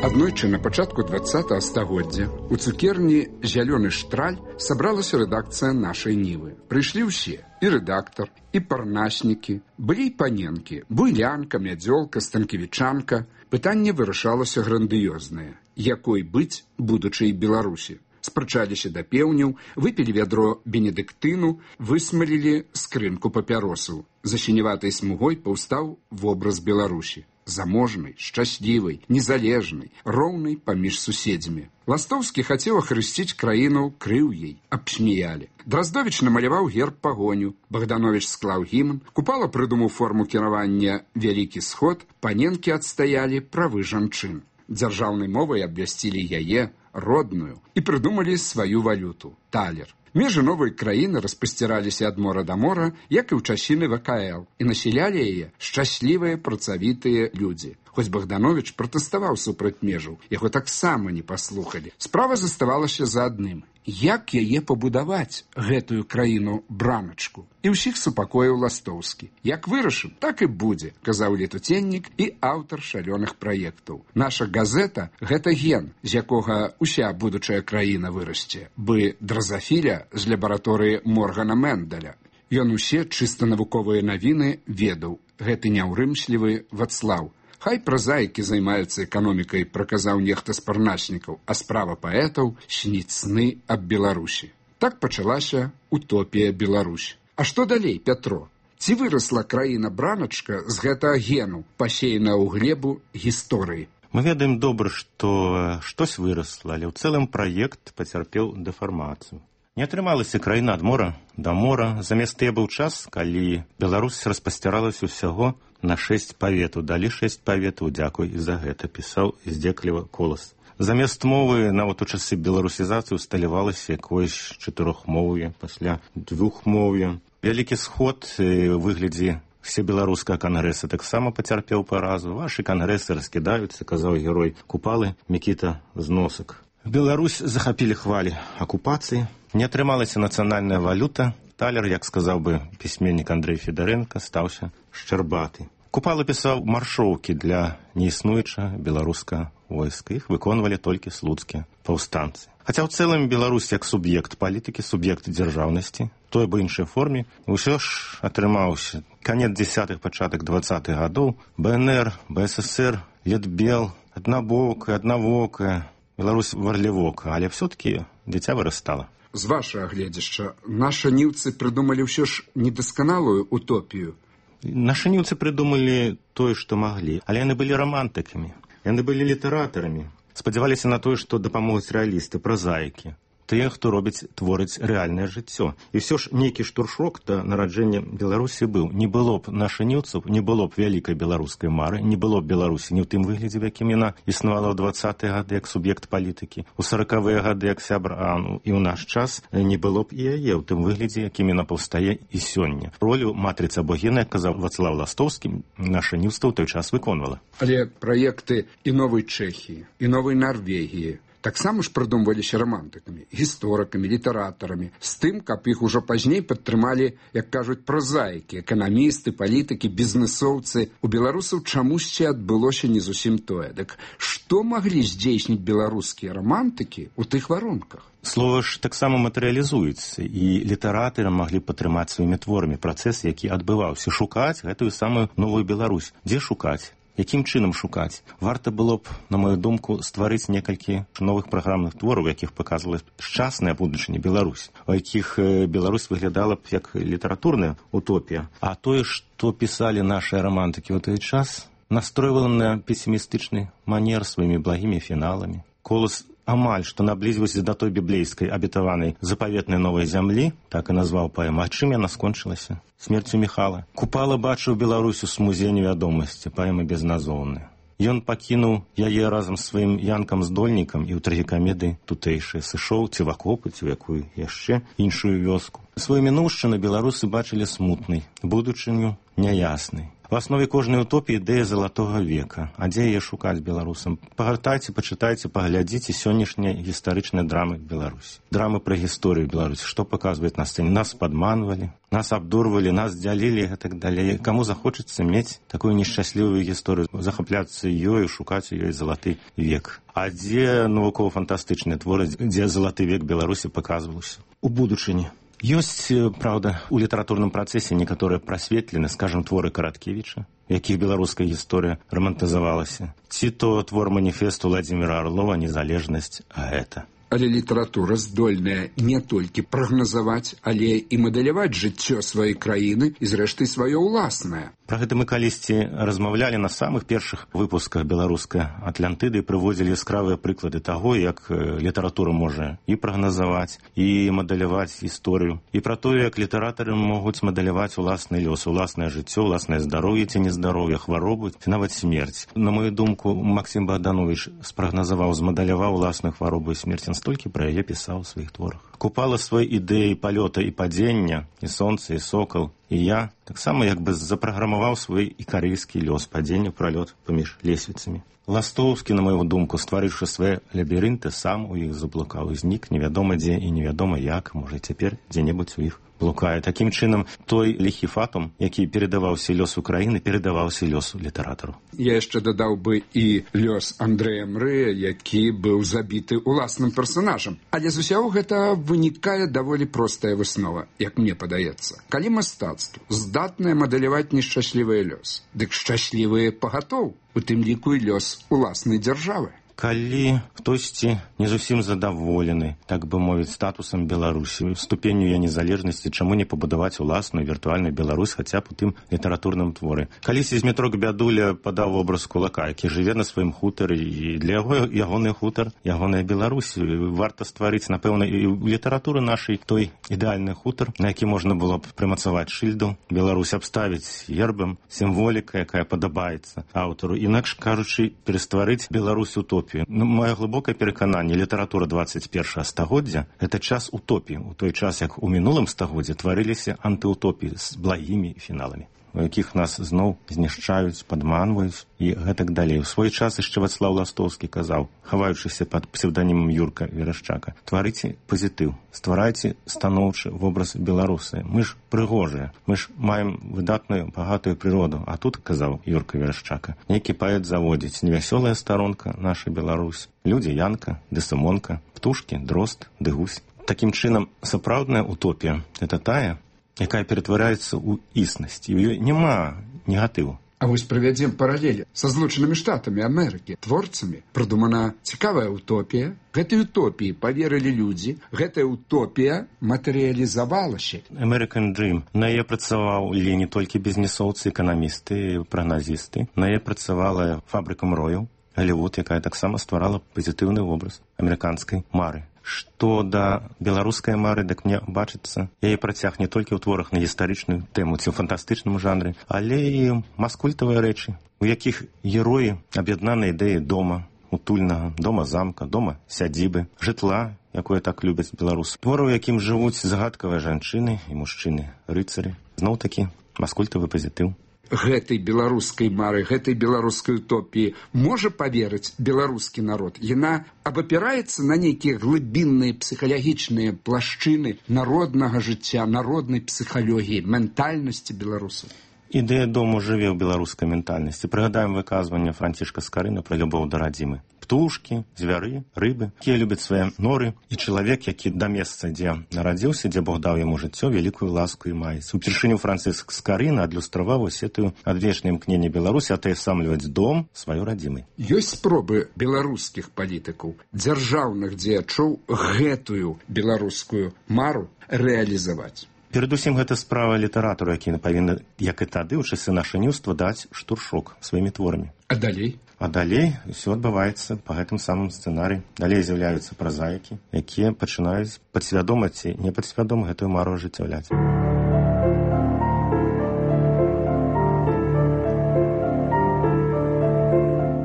Аднойчы на пачатку 20-го стагоддзя у цукерні «Зялёны штраль» сабралася рэдакцыя нашай Нівы. Прыйшлі ўсе, і рэдактар, і парнаснікі, былі і паненкі, буйлянка, мядзёлка, станкевічанка. Пытанне вырашалася грандыёзнае. Якой быць будучай Беларусі? Спрачаліся да пеўняў, выпілі вядро бенедыктыну, высмалілі скрынку папяросаў. За сіняватай смугой паўстаў вобраз Беларусі. заможнай, шчаслівай, незалежнай, роўнай паміж суседзямі. Ластовскі хацеў ахрысціць краіну крыўяй, абсмеялі. Драздовіч намаляваў герб пагоню, Богданович склаў гімн, Купала прыдумаў форму кіравання «Вялікі сход», паненкі адстаялі правы жанчын. Дзяржаўнай мовай абвясцілі яе, родную, і прыдумалі сваю валюту – талер. Межы новай краіны распасціраліся ад мора да мора, як і ў часіны ВКЛ, і насялялі яе шчаслівыя працавітыя людзі. Хоць Богданович пратэставаў супраць межаў, яго таксама не паслухалі. Справа заставалася за адным. Як яе пабудаваць, гэтую краіну-браначку? І ўсіх супакоіў Ластовскі. Як вырашым, так і будзе, казаў летуценнік і аўтар шалёных праектаў. Наша газета – гэта ген, з якога ўся будучая краіна вырасце, бы дразафіля з лабараторыі Моргана Менделя. Ён усе чыста навуковыя навіны ведаў. Гэты няўрымслівы Вацлаў. Хай празаікі займаюцца эканомікай, праказаў нехта з парначнікаў, а справа паэтаў сніць сны аб Беларусі. Так пачалася утопія Беларусь. А што далей, Пятро? Ці вырасла краіна-браначка з гэтага гену, пасеяна ў глебу гісторыі? Мы ведаем добра, што штось вырасла, але ў цэлым праект пацярпеў дэфармацыю. Не атрымалася краіна ад мора да мора. Замест тыя быў час, калі Беларусь распасціралася ўсяго на 6 паветаў. Далі 6 паветаў, дзякуй і за гэта, пісаў здзекліва Колас. Замест мовы, нават у часы беларусізацыі, усталявалася якоюсь чатырохмоўе, пасля двухмоўе. Вялікі сход у выглядзе всебеларускага кангрэса таксама пацярпеў паразу. Вашы кангрэсы раскідаюцца, казаў герой Купалы Мікіта Зносак. Беларусь захапілі хвалі акупацыі. Не атрымалася нацыянальная валюта. Талер, як сказаў бы пісьменнік Андрэй Федарэнка, стаўся шчарбаты. Купала пісаў маршоўкі для неіснуючага беларускага войска. Іх выконвалі толькі слуцкія паўстанцы. Хаця ў цэлым Беларусь як суб'ект палітыкі, суб'ект дзяржаўнасці, той або іншай форме, ўсё ж атрымаўся. Канец 10-х, пачатак 20-х гадоў, БНР, БССР, Летбел, аднавокая, Беларусь варлівока, але все-таки дзіця вырастала. З вашага гледзяшча, наша ніўцы прыдумалі ўсё ж недасканалую утопію. Нашы ніўцы прыдумалі тое, што маглі, але яны былі рамантыкамі, яны былі літаратарамі, спадзяваліся на тое, што дапамогуць рэалісты, празаікі, тыя, хто творыць рэальнае жыццё. І ўсё ж нейкі штуршок да нараджэння Беларусі быў. Не было б нашых ніўцаў, не было б вялікай беларускай мары, не было б Беларусі ні ў тым выглядзе, в якім яна існавала ў 20-е гады як суб'ект палітыкі, у 40-е гады як сябр АНУ, і ў наш час не было б і яе ў тым выглядзе, якім яна паўстае і сёння. Ролю матрыцы або гена, як казаў Вацлаў Ластовскі, наша ніўства ў той час выконвала. Але праекты і новай Чэхіі, і новай Нарвегіі таксама ж прыдумваліся рамантыкамі, гісторыкамі, літаратарамі, з тым, каб іх ужо пазней падтрымалі, як кажуць, празаікі, эканамісты, палітыкі, бізнесоўцы. У беларусаў чамусьці адбылося не зусім тое. Дык што маглі здзейсніць беларускія рамантыкі ў тых варунках? Слова ж таксама матэрыялізуецца, і літаратары маглі падтрымаць сваімі творамі працэс, які адбываўся. Шукаць гэтую самую новую Беларусь. Дзе шукаць? Якім чынам шукаць? Варта было б, на мою думку, стварыць некалькі новых праграмных твораў, якіх паказвала шчасная будучыня Беларусь, у якіх Беларусь выглядала б як літаратурная утопія. А тое, што пісалі нашы рамантыкі ў той час, настройвала на песімістычны манер сваімі благімі фіналамі. Колас амаль што наблізіўся да той біблейскай абетаванай запаветнай новай зямлі, так і назваў паэму. А чым яна скончылася? Смерцю Міхала. Купала бачыў Беларусю з музея невядомасці, паэма безназоўная. Ён пакінуў яе разам з сваім янкам-здольнікам і ў трагікамедыі тутэйшыя сышоў ці в акопы, ці ў якую яшчэ іншую вёску. Сваю мінуўшчыну беларусы бачылі смутнай, будучыню няяснай. В аснове кожнай утопіі ідэя залатога века. А дзе яе шукаць беларусам? Пагартайце, пачытайце, паглядзіце сённяшнія гістарычныя драмы Беларусі. Драмы пра гісторыю Беларусі. Што паказваюць на сцэне? Нас падманвалі, нас абдурвалі, нас дзялілі і так далей. Каму захочацца мець такую нешчаслівую гісторыю, захапляцца ёю, шукаць у ёй залаты век. А дзе навукова-фантастычныя творы, дзе залаты век Беларусі паказваўся? У будучыні. Ёсць, праўда, у літаратурным працэсе некаторыя прасветлены, скажам, творы Караткевіча, якіх беларуская гісторыя рамантызавалася. Ці то твор маніфесту Владзіміра Арлова «Незалежнасць», а гэта. Але літаратура здольная не толькі прагназаваць, але і мадэляваць жыццё сваёй краіны і, зрэшты, сваё ўласнае. Пра гэта мы калісьці размаўлялі на самых першых выпусках беларускай Атлантыды і прыводзілі яскравыя прыклады таго, як літаратура можа і прагназаваць, і мадэляваць гісторыю, і пра тое, як літаратары могуць мадэляваць уласны лёс, уласнае жыццё, уласнае здароўе ці нездароўе, хваробу, ці нават смерць. На мою думку, Максім Богданович спрагназаваў, змадэляваў уласную хваробу і смерць, ён столькі пра яе пісаў у сваіх творах. Купала свае ідэі палёта і падзення, і сонца, і сокал, і я таксама як бы запраграмаваў свой ікарыйскі лёс, падзення, пралёт паміж лесвіцамі. Ластоўскі, на мою думку, стварыўшы свае лабірынты, сам у іх заблукаў і знік невядома дзе і невядома як, можа цяпер дзе-небудзь у іх блукае. Такім чынам, той ліхі фатум, які перадаваўся лёс Украіны, перадаваўся лёсу літаратару. Я яшчэ дадаў бы і лёс Андрэя Мрэя, які быў забіты уласным персонажам. Але з усяго гэта вынікае даволі простая выснова, як мне падаецца. Калі мастацтво здатнае мадэляваць нешчаслівы лёс, дык шчаслівыя пагатоў, у тым ліку і лёс уласнай дзяржавы. Калі хтосьці не зусім задаволены, так бы мовіць, статусам Беларусі, ступенню яе незалежнасці, чаму не пабудаваць уласную віртуальную Беларусь хаця б у тым літаратурным творы. Калісьці Змітрок Бядуля падаў вобраз кулака, які жыве на сваім хутары, і для яго ягоны хутар, ягоная Беларусь. Варта стварыць, напэўна, і ў літаратуры нашай той ідэальны хутар, на які можна было б прымацаваць шыльду, Беларусь абставіць гербам, сімволіка, якая падабаецца аўтару. Інакш кажучы, перастварыць Беларусь утопію. Мое глыбокае перакананне, літаратура 21 стагоддзя – гэта час утопіі, у той час, як у мінулым стагоддзе тварыліся антыутопіі з благімі фіналамі, у якіх нас зноў знішчаюць, падманваюць і гэтак далей. У свой час яшчэ Вацлаў Ластоўскі казаў, хаваючыся пад псевданімам Юрка Верашчака: «Тварыце пазітыў, стварайце станоўчы вобраз беларусы. Мы ж прыгожыя, мы ж маем выдатную, багатую прыроду». А тут, казаў Юрка Верашчака, нейкі паэт заводзіць: невясёлая старонка наша Беларусь, людзі Янка ды Сымонка, птушкі, дрозд ды гусь. Такім чынам, сапраўдная утопія – гэта тая, якая ператвараецца ў існасць, і ў ёй няма негатыву. А вось правядзем паралелі са Злучанымі Штатамі Амерыкі, творцамі. Прыдумана цікавая утопія. Гэтай утопіі паверылі людзі, гэтая утопія матэрыялізавалася. American Dream. На яе працавалі не толькі бізнесоўцы, эканамісты, прагназісты. На яе працавала фабрыка мрояў, Голливуд, якая таксама стварала пазітыўны вобраз амерыканскай мары. Што да беларускай мары, дык мне бачыцца, яе працяг не толькі ў творах на гістарычную тэму ці ў фантастычным жанры, але і маскультавыя рэчы, у якіх героі аб'яднаны ідэі дома, утульнага, дома-замка, дома-сядзібы, жытла, якое так любяць беларусы. Творы, у якім жывуць загадкавыя жанчыны і мужчыны, рыцары. Зноў-такі маскультавы пазітыў. Гэтай беларускай мары, гэтай беларускай утопіі можа паверыць беларускі народ? Яна абапіраецца на нейкія глыбінныя псіхалагічныя плашчыны народнага жыцця, народнай псіхалогіі, ментальнасці беларусаў. Ідэя дому жыве ў беларускай ментальнасці. Прыгадаем выказванне Францішка Скарына пра любоў да радзімы. Птушкі, звяры, рыбы, якія любяць свае норы, і чалавек, які да месца, дзе нарадзіўся, дзе Бог даў яму жыццё, вялікую ласку і маецца. Упершыню Франціск Скарына адлюстраваў гэтую адвечнае імкненне Беларусі атаясамліваць дом сваёй радзімай. Ёсць спробы беларускіх палітыкаў, дзяржаўных дзеячоў гэтую беларускую мару рэалізаваць. Перадусім, гэта справа літаратура, які павінна, як і тады, у часы нашаніўства, даць штуршок сваімі творамі. А далей? А далей ўсё адбываецца па гэтым самым сцэнарыі. Далей з'яўляюцца празаікі, якія пачынаюць падсвядома ці непадсвядома гэтую мару ажыццяўляць.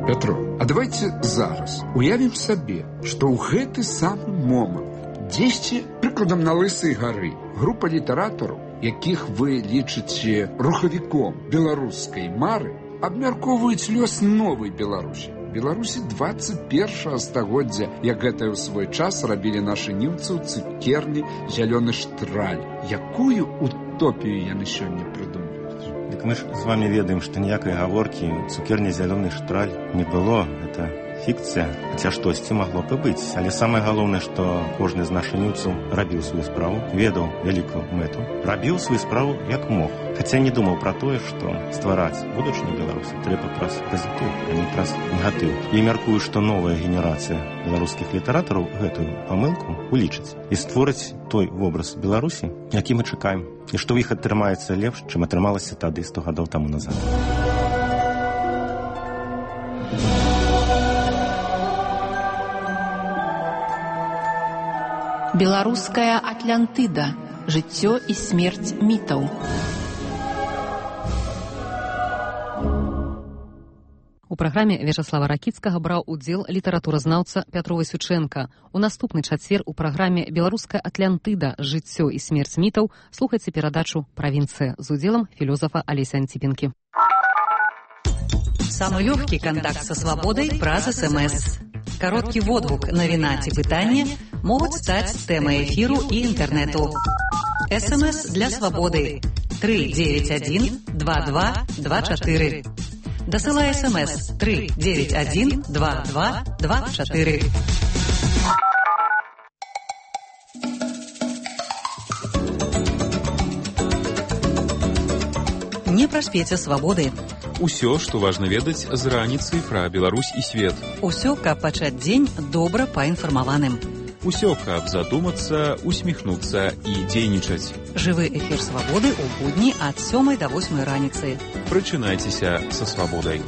Пятро, а давайте зараз уявім сабе, што ў гэты самы момант дзесьці, прыкладам, на Лысай гары, група літаратараў, якіх вы лічыце рухавіком беларускай мары, абмяркоўваюць лёс новай Беларусі. Беларусі 21 стагоддзя, як гэта ў свой час рабілі нашы немцы ў цукерні «Зялёны штраль». Якую утопію яны сёння прыдумаюць? Дык мы ж з вами ведаем, што ніякай гаворкі цукерні «Зялёны штраль» не было. Это фікцыя, хаця штосьці магло б і быць. Але самае галоўнае, што кожны з нашаніўцаў рабіў сваю справу, ведаў вялікую мэту, рабіў сваю справу як мог. Хаця не думаў пра тое, што ствараць будучыню Беларусі трэба праз пазітыў, а не праз негатыў. І мяркую, што новая генерацыя беларускіх літаратараў гэтую памылку улічыць і створыць той вобраз Беларусі, які мы чакаем. І што ў іх атрымаецца лепш, чым атрымалася тады 100 гадоў таму назад. Беларуская Атлантыда. Жыццё і смерць мітаў. У праграме Вячаслава Ракіцкага браў удзел літаратуразнаўца Пятро Васючэнка. У наступны чацвер у праграме «Беларуская Атлантыда. Жыццё і смерць мітаў» слухайце перадачу «Правінцыя» з удзелам філосафа Алесі Антипенкі. Самый легкий контакт со свободой праз СМС. Короткий водгук, навіна ці пытанне могуць стаць тэмай эфіру і інтэрнэту. СМС для свободы 391 2224. Дасылай СМС 391 2224. Не праспеце свабоды. Усё, што важна ведаць з раніцы пра Беларусь і свет. Усё, каб пачаць дзень добра паінфармаваным. Усё, каб задумацца, усміхнуцца і дзейнічаць. Жывы эфір свабоды ў будні ад 7 да 8 раніцы. Прачынайцеся са свабодай.